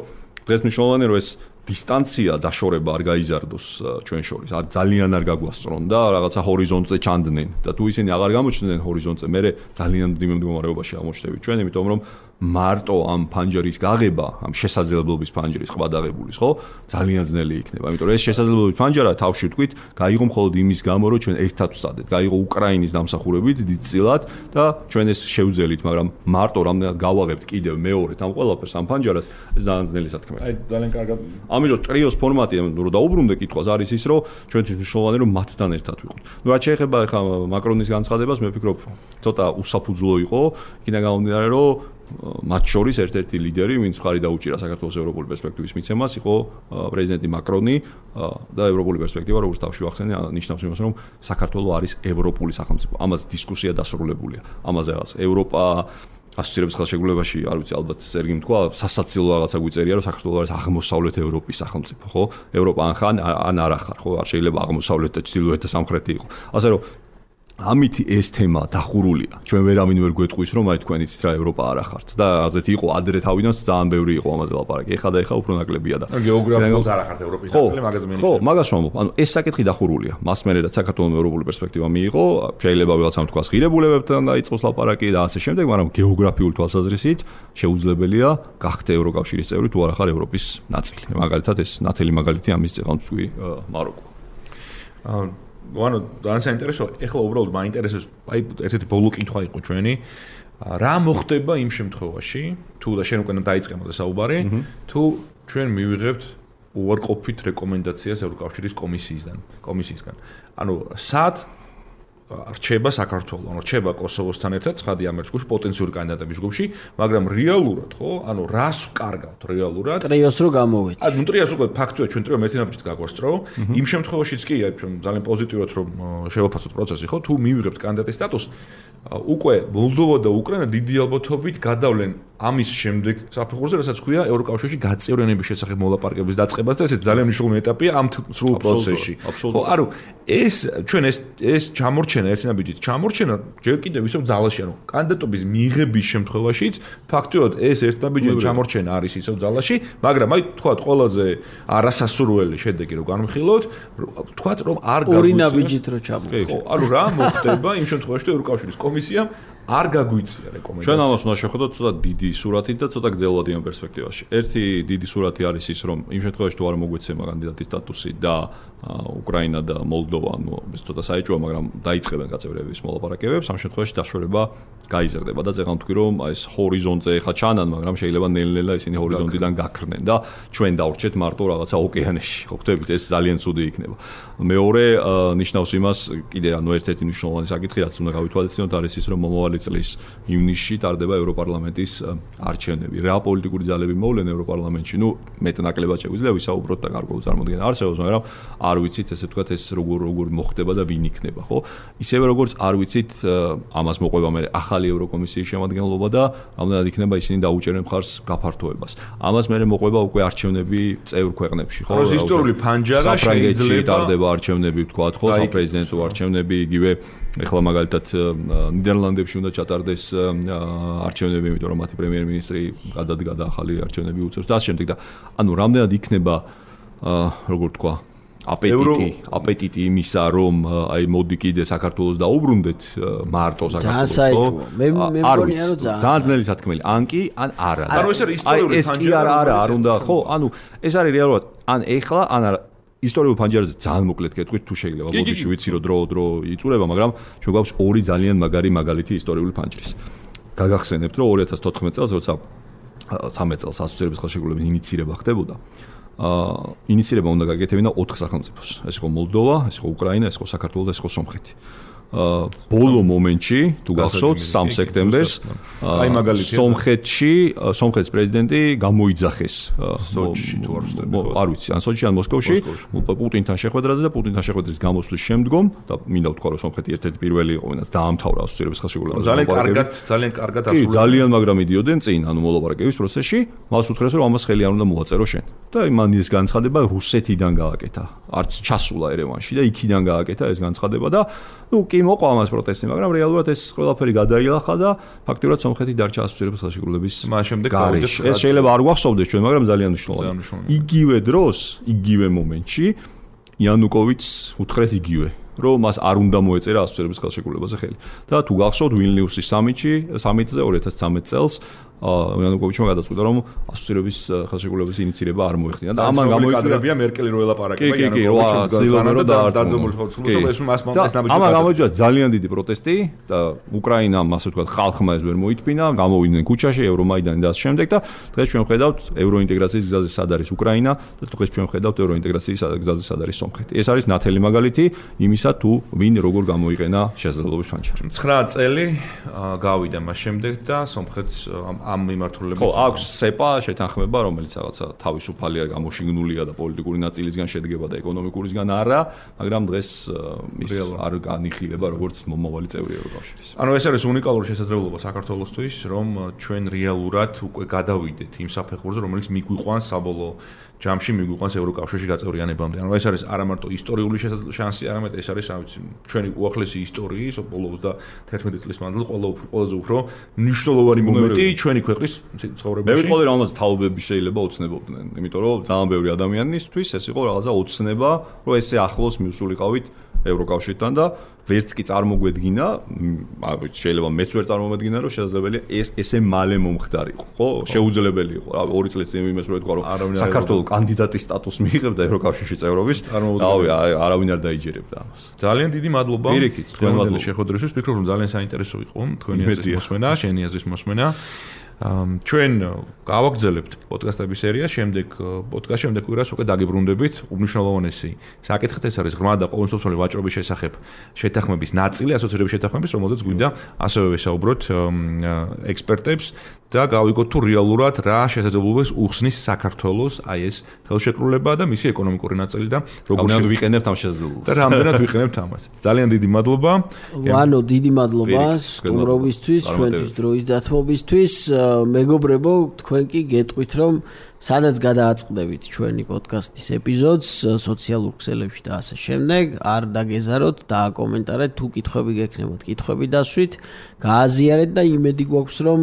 დღეს მნიშვნელოვანია რომ ეს დისტანცია დაშორება არ გაიზარდოს ჩვენ შორის. არ ძალიან არ გაგვასწრონ და რაღაცა ჰორიზონტზე ჩანდნენ და თუ ისინი აღარ გამოჩნდნენ ჰორიზონტზე, მე ძალიან მდიმე მდგომარეობაში აღმოჩნდებით ჩვენ, იმიტომ რომ მარტო ამ ფანჯრის გაღება, ამ შესაძლებლობის ფანჯრის ხვადაღებულის, ხო? ძალიან ძნელი იქნება. იმიტომ რომ ეს შესაძლებლობის ფანჯარა თავში ვთქვით, გაიღო მხოლოდ იმის გამო, რომ ჩვენ ერთად ვსადეთ. გაიღო უკრაინის დამსახურებით დიდწილად და ჩვენ ეს შევძელით, მაგრამ მარტო რამდენად გავაღებთ კიდევ მეორედ ამ ყველაფერს ამ ფანჯარას, ეს ძალიან ძნელი სათქმეა. აი ძალიან კარგად. ამიტომ ტრიოს ფორმატი, რომ დაუბრუნდე კითხვას, არის ის, რომ ჩვენთვის მნიშვნელოვანი რომ მათთან ერთად ვიყოთ. ნუ რაც შეეხება ახლა მაკრონის განცხადებას, მე ვფიქრობ, ცოტა უსაფუძვლო იყო, იქიდან გამომდინარე, რომ მათ შორის ერთ-ერთი ლიდერი, ვინც მხარი დაუჭირა საქართველოს ევროპული პერსპექტივის მიცემას, იყო პრეზიდენტი მაკრონი და ევროპული პერსპექტივა, როგორც თავში ვახსენე, ნიშნავს იმას, რომ საქართველოს არის ევროპული სახელმწიფო. ამას დისკუსია დასრულებულია. ამაზე რაღაც ევროპა ასოცირების ხელშეკრულებაში, არ ვიცი, ალბათ ზერგი თქვა, სასაცილო რაღაცა გვიწერია, რომ საქართველოს არის აღმოსავლეთ ევროპის სახელმწიფო, ხო? ევროპა ან ხან ან არ ახარ, ხო? არ შეიძლება აღმოსავლეთ და ჩრდილოეთ და სამხრეთი იყო. ასე რომ ამით ეს თემა დახურულია. ჩვენ ვერავინ ვერ გვეტყვის, რომ აი თქვენ იცით რა ევროპა არ ახართ და ასეც იყო ადრე თავიდან ძალიან ბევრი იყო ამაზე ლაპარაკი. ეხლა და ეხლა უფრო ნაკლებია და გეოგრაფიულად არ ახართ ევროპის ნაწილი, მაგაზე მე ხო, მაგას ვამბობ. ანუ ეს საკითხი დახურულია. მას მერე რაც საქართველოს ევროპული პერსპექტივა მიიღო, შეიძლება ვიღაცამ თქვას ღირებულებებთან დაიწყოს ლაპარაკი და ასე შემდეგ, მაგრამ გეოგრაფიული თვალსაზრისით შეუძლებელია გახდე ევროკავშირის წევრი თუ არ ახარ ევროპის ნაწილი. მაგალითად ეს ნათელი მაგალითი ამის წეღან თქვი მაროკო. აა ანუ ძალიან საინტერესო, ეხლა უბრალოდ მაინტერესებს, აი ერთ-ერთი ბოლო კითხვა იყო ჩვენი, რა მოხდება იმ შემთხვევაში, თუ და შენ უკვე დაიწყე მოდი საუბარი, თუ ჩვენ მივიღებთ უარყოფით რეკომენდაციას ევროკავშირის კომისიისგან, კომისიისგან. ანუ სად რჩება საქართველო, ანუ რჩება კოსოვოსთან ერთად, ცხადი ამ ჯგუფში პოტენციური კანდიდატების ჯგუფში, მაგრამ რეალურად, ხო, ანუ რას ვკარგავთ რეალურად? ტრიოს რო გამოვეთ. ანუ ტრიოს უკვე ფაქტია, ჩვენ ტრიო ერთი ნაბიჯით გაგვასწრო. იმ შემთხვევაშიც კი, აი ჩვენ ძალიან პოზიტიურად რომ შევაფასოთ პროცესი, ხო, თუ მივიღებთ კანდიდატის სტატუსს, უკვე მოლდოვა და უკრაინა დიდი ალბათობით გადავლენ ამის შემდეგ საფეხურზე, რასაც ქვია ევროკავშირში გაწევრიანების შესახებ მოლაპარაკების დაწყებას და ესეც ძალიან მნიშვნელოვანი ეტაპია ამ სრულ პროცესში. ხო, ანუ ეს ჩვენ ეს ეს ჩამორჩენა ერთი ნაბიჯით ჩამორჩენა ჯერ კიდევ ისევ ძალაში, ანუ კანდიდატობის მიღების შემთხვევაშიც ფაქტიურად ეს ერთ ნაბიჯით ჩამორჩენა არის ისევ ძალაში, მაგრამ აი თქვათ ყველაზე არასასურველი შედეგი რო განვიხილოთ, თქვათ რომ არ გაგვიწია ორი ნაბიჯით რო ჩამორჩენა. ხო, ანუ რა მოხდება იმ შემთხვევაში, რომ ევროკავშირის კომისიამ არ გაგვიწია რეკომენდაცია. ჩვენ ამას უნდა შევხედოთ ცოტა დიდი სურათით და ცოტა გრძელვადი ამ პერსპექტივაში. ერთი დიდი სურათი არის ის, რომ იმ შემთხვევაში თუ არ მოგვეცემა კანდიდატის სტატუსი და უკრაინა და მოლდოვა, ну, ეს ცოტა საეჭვოა, მაგრამ დაიწყებენ გაწევრიანების მოლაპარაკებებს, ამ შემთხვევაში დაშორება გაიზრდება და ზეგან თქვი, რომ ეს ჰორიზონტზე ხა ჩანან, მაგრამ შეიძლება ნელ-ნელა ისინი ჰორიზონტიდან გაქრნენ და ჩვენ დავრჩეთ მარტო რაღაცა ოკეანეში. ხო, ხვდებით, ეს ძალიან ცუდი იქნება. მეორე ნიშნავს იმას, კიდე ანუ ერთ-ერთი მნიშვნელოვანი საკითხი, რაც უნდა გავითვალისწინოთ, არის ის, რომ მომავალი წლის ივნისში ტარდება ევროპარლამენტის არჩევნები. რა პოლიტიკური ძალები მოვლენ ევროპარლამენტში? ნუ მეტნაკლებად შეგვიძლია ვისაუბროთ და გარკვეულ წარმოდგენა არსებობს, მაგრამ არ ვიცით ესე ვთქვათ ეს როგორ როგორ მოხდება და ვინ იქნება, ხო? ისევე როგორც არ ვიცით ამას მოყვება მე ახალი ევროკომისიის შემადგენლობა და რამდენად იქნება ისინი დაუჭერენ მხარს გაფართოებას. ამას მე მოყვება უკვე არჩევნები წევრ ქვეყნებში, ხო? ეს ისტორიული ფანჯარა შეიძლება ტარდება არჩევნები, ვთქვათ, ხო, საპრეზიდენტო არჩევნები, იგივე ეხლა მაგალითად ნიდერლანდებში უნდა ჩატარდეს არჩევნები, იმიტომ რომ მათი პრემიერ-მინისტრი გადადგა და ახალი არჩევნები უწევს და ასე შემდეგ და ანუ რამდენად იქნება როგორ თქვა აპეტიტი, აპეტიტი იმისა, რომ აი მოდი კიდე საქართველოს დაუბრუნდეთ მარტო საქართველოს, ხო? მე მე მგონია რომ ძალიან ძნელი სათქმელი, ან კი, ან არა. ანუ ეს არის ისტორიული ფანჯარა. ეს კი არა, არა, არ უნდა, ხო? ანუ ეს არის რეალურად, ან ეხლა, ან არა. ისტორიულ ფანჯარაზე ძალიან მოკლედ გეტყვით, თუ შეიძლება, ბოდიში ვიცი რომ დრო დრო იწურება, მაგრამ ჩვენ გვაქვს ორი ძალიან მაგარი მაგალითი ისტორიული ფანჯრის. გაგახსენებთ, რომ ორი ათას თოთხმეტ წელს, როცა ცამეტ წელს ასოცირების ხელშეკრულების ინიცირება ხდებოდა, აა ინიცირება უნდა გაკეთებინა ოთხ სახელმწიფოს. ეს იყო მოლდოვა, ეს იყო უკრაინა, ეს იყო საქართველო და ეს იყო სომხეთი. აა ბოლო მომენტში, თუ გახსოვთ, სამი სექტემბერს აი მაგალითად სომხეთში, სომხეთის პრეზიდენტი გამოიძახეს სოჩში თუ არ ვსწრები, არ ვიცი, ან სოჩში, ან მოსკოვში, პუტინთან შეხვედრაზე და პუტინთან შეხვედრის გამოსვლის შემდგომ და მინდა ვთქვა, რომ სომხეთი ერთ-ერთი პირველი იყო, ვინაც დაამთავრა ასოცირების ხელშეკრულება. ძალიან კარგად, ძალიან კარგად ასრულებდა. კი, ძალიან მაგრამ მიდიოდნენ წინ, ანუ მოლაპარაკების პროცესში, მას უთხრეს, რომ ამას ხელი არ უნდა მოვაწერო შენ. და იმან ეს განცხადება რუსეთიდან გააკეთა. არც ჩასულა ერევანში და იქიდან გააკეთა ეს განცხადება და ну, კი მოყვა ამას პროტესტი, მაგრამ რეალურად ეს ყველაფერი გადაილახა და ფაქტიურად სომხეთი დარჩა ასოცირების ხელშეკრულების მას შემდეგ გარეშე. ეს შეიძლება არ გვახსოვდეს ჩვენ, მაგრამ ძალიან მნიშვნელოვანია. იგივე დროს, იგივე მომენტში იანუკოვიჩს უთხრეს იგივე, რომ მას არ უნდა მოეწერა ასოცირების ხელშეკრულებაზე ხელი. და თუ გახსოვთ ვილნიუსის სამიტში, სამიტზე ორი ათას ცამეტ წელს იანუკოვიჩმა გადაწყვიტა, რომ ასოცირების ხელშეკრულების ინიცირება არ მოეხდინა და ამან გამოიწვია მერკელი რო ელაპარაკება იანუკოვიჩს და დაძაბული ხოლმე ეს მას ეს ნაბიჯი ამან გამოიწვია ძალიან დიდი პროტესტი და უკრაინამ ასე ვთქვათ ხალხმა ეს ვერ მოითმინა, გამოვიდნენ ქუჩაში, ევრომაიდანი და ამ შემდეგ და დღეს ჩვენ ხედავთ ევროინტეგრაციის გზაზე სად არის უკრაინა და დღეს ჩვენ ხედავთ ევროინტეგრაციის გზაზე სად არის სომხეთი. ეს არის ნათელი მაგალითი იმისა, თუ ვინ როგორ გამოიყენა შესაძლებლობის ფანჯარი. ცხრა წელი გავიდა მას შემდეგ და სომხეთს ამ მიმართულებით ხო, აქვს სეპა შეთანხმება, რომელიც რაღაცა თავისუფალია, გამოშიგნულია და პოლიტიკური ნაწილისგან შედგება და ეკონომიკურისგან არა, მაგრამ დღეს ის არ განიხილება როგორც მომავალი წევრი ევროკავშირის. ანუ ეს არის უნიკალური შესაძლებლობა საქართველოსთვის, რომ ჩვენ რეალურად უკვე გადავიდეთ იმ საფეხურზე, რომელიც მიგვიყვანს საბოლოო ჯამში მიგვიყვანს ევროკავშირში გაწევრიანებამდე. ანუ ეს არის არა მარტო ისტორიული შანსი, არამედ ეს არის, რა ვიცი, ჩვენი უახლესი ისტორიის ბოლო ოცდაათერთმეტი წლის მანძილზე ყველაზე უფრო მნიშვნელოვანი მომენტი ჩვენი ქვეყნის ცხოვრებაში. მე ვიტყოდი, რომ ამაზე თაობები შეიძლება ოცნებობდნენ, იმიტომ რომ ძალიან ბევრი ადამიანისთვის ეს იყო რაღაცა ოცნება, რომ ესე ახლოს მივსულიყავით ევროკავშირთან და ვერც კი წარმოგვედგინა, შეიძლება მეც ვერ წარმომედგინა, რომ შესაძლებელია ეს ესე მალე მომხდარიყო, ხო? შეუძლებელი იყო. რა ორი წლის წინ იმას რო ეთქვა, რომ საქართველოს კანდიდატის სტატუსს მიიღებდა ევროკავშირში წევრობის, რავი, არავინ არ დაიჯერებდა ამას. ძალიან დიდი მადლობა. თქვენი შეხვედრისთვის, ვფიქრობ, რომ ძალიან საინტერესო იყო თქვენი აზრის მოსმენა, შენი აზრის მოსმენა. ჩვენ გავაგრძელებთ პოდკასტების სერიას, შემდეგ პოდკასტ შემდეგ კვირას უკვე დაგიბრუნდებით უმნიშვნელოვანესი საკითხით, ეს არის ღრმა და ყოველმსოფლიო ვაჭრობის შესახებ შეთანხმების ნაწილი, ასოცირების შეთანხმების, რომელზეც გვინდა ასევე ვესაუბროთ ექსპერტებს და გავიგოთ თუ რეალურად რა შესაძლებლობებს უხსნის საქართველოს აი ეს ხელშეკრულება და მისი ეკონომიკური ნაწილი და როგორ ვიყენებთ ამ შესაძლებლობას. და რამდენად ვიყენებთ ამას. ძალიან დიდი მადლობა. ვანო, დიდი მადლობა სტუმრობისთვის, ჩვენთვის დროის დათმობისთვის. მეგობრებო, თქვენ კი გეტყვით, რომ სადაც გადააწყდებით ჩვენი პოდკასტის ეპიზოდს სოციალურ ქსელებში და ასე შემდეგ, არ დაგეზაროთ, დააკომენტარეთ, თუ კითხვები გექნებათ, კითხვები დასვით, გააზიარეთ და იმედი გვაქვს, რომ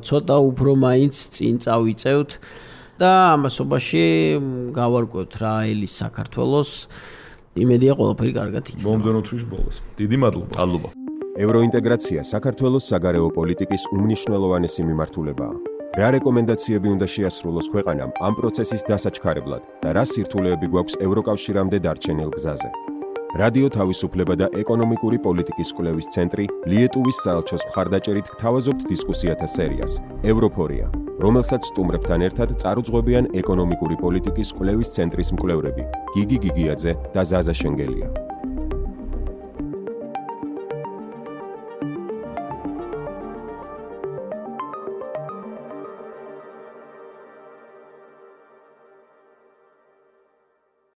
ცოტა უფრო მაინც წინ წავიწევთ და ამასობაში გავარკვევთ რა ელის საქართველოს. იმედია ყველაფერი კარგად იქნება. მომდევნო თვის ბოლოს. დიდი მადლობა. მადლობა. ევროინტეგრაცია საქართველოს საგარეო პოლიტიკის უმნიშვნელოვანესი მიმართულებაა. რა რეკომენდაციები უნდა შეასრულოს ქვეყანამ ამ პროცესის დასაჩქარებლად და რა სირთულეები გვაქვს ევროკავშირამდე დარჩენილ გზაზე? რადიო თავისუფლება და ეკონომიკური პოლიტიკის კვლევის ცენტრი ლიეტუვის საელჩოს მხარდაჭერით გთავაზობთ დისკუსიათა სერიას ევროფორია, რომელსაც სტუმრებთან ერთად წარუძღვებიან ეკონომიკური პოლიტიკის კვლევის ცენტრის მკვლევრები გიგი გიგიაძე და ზაზა შენგელია.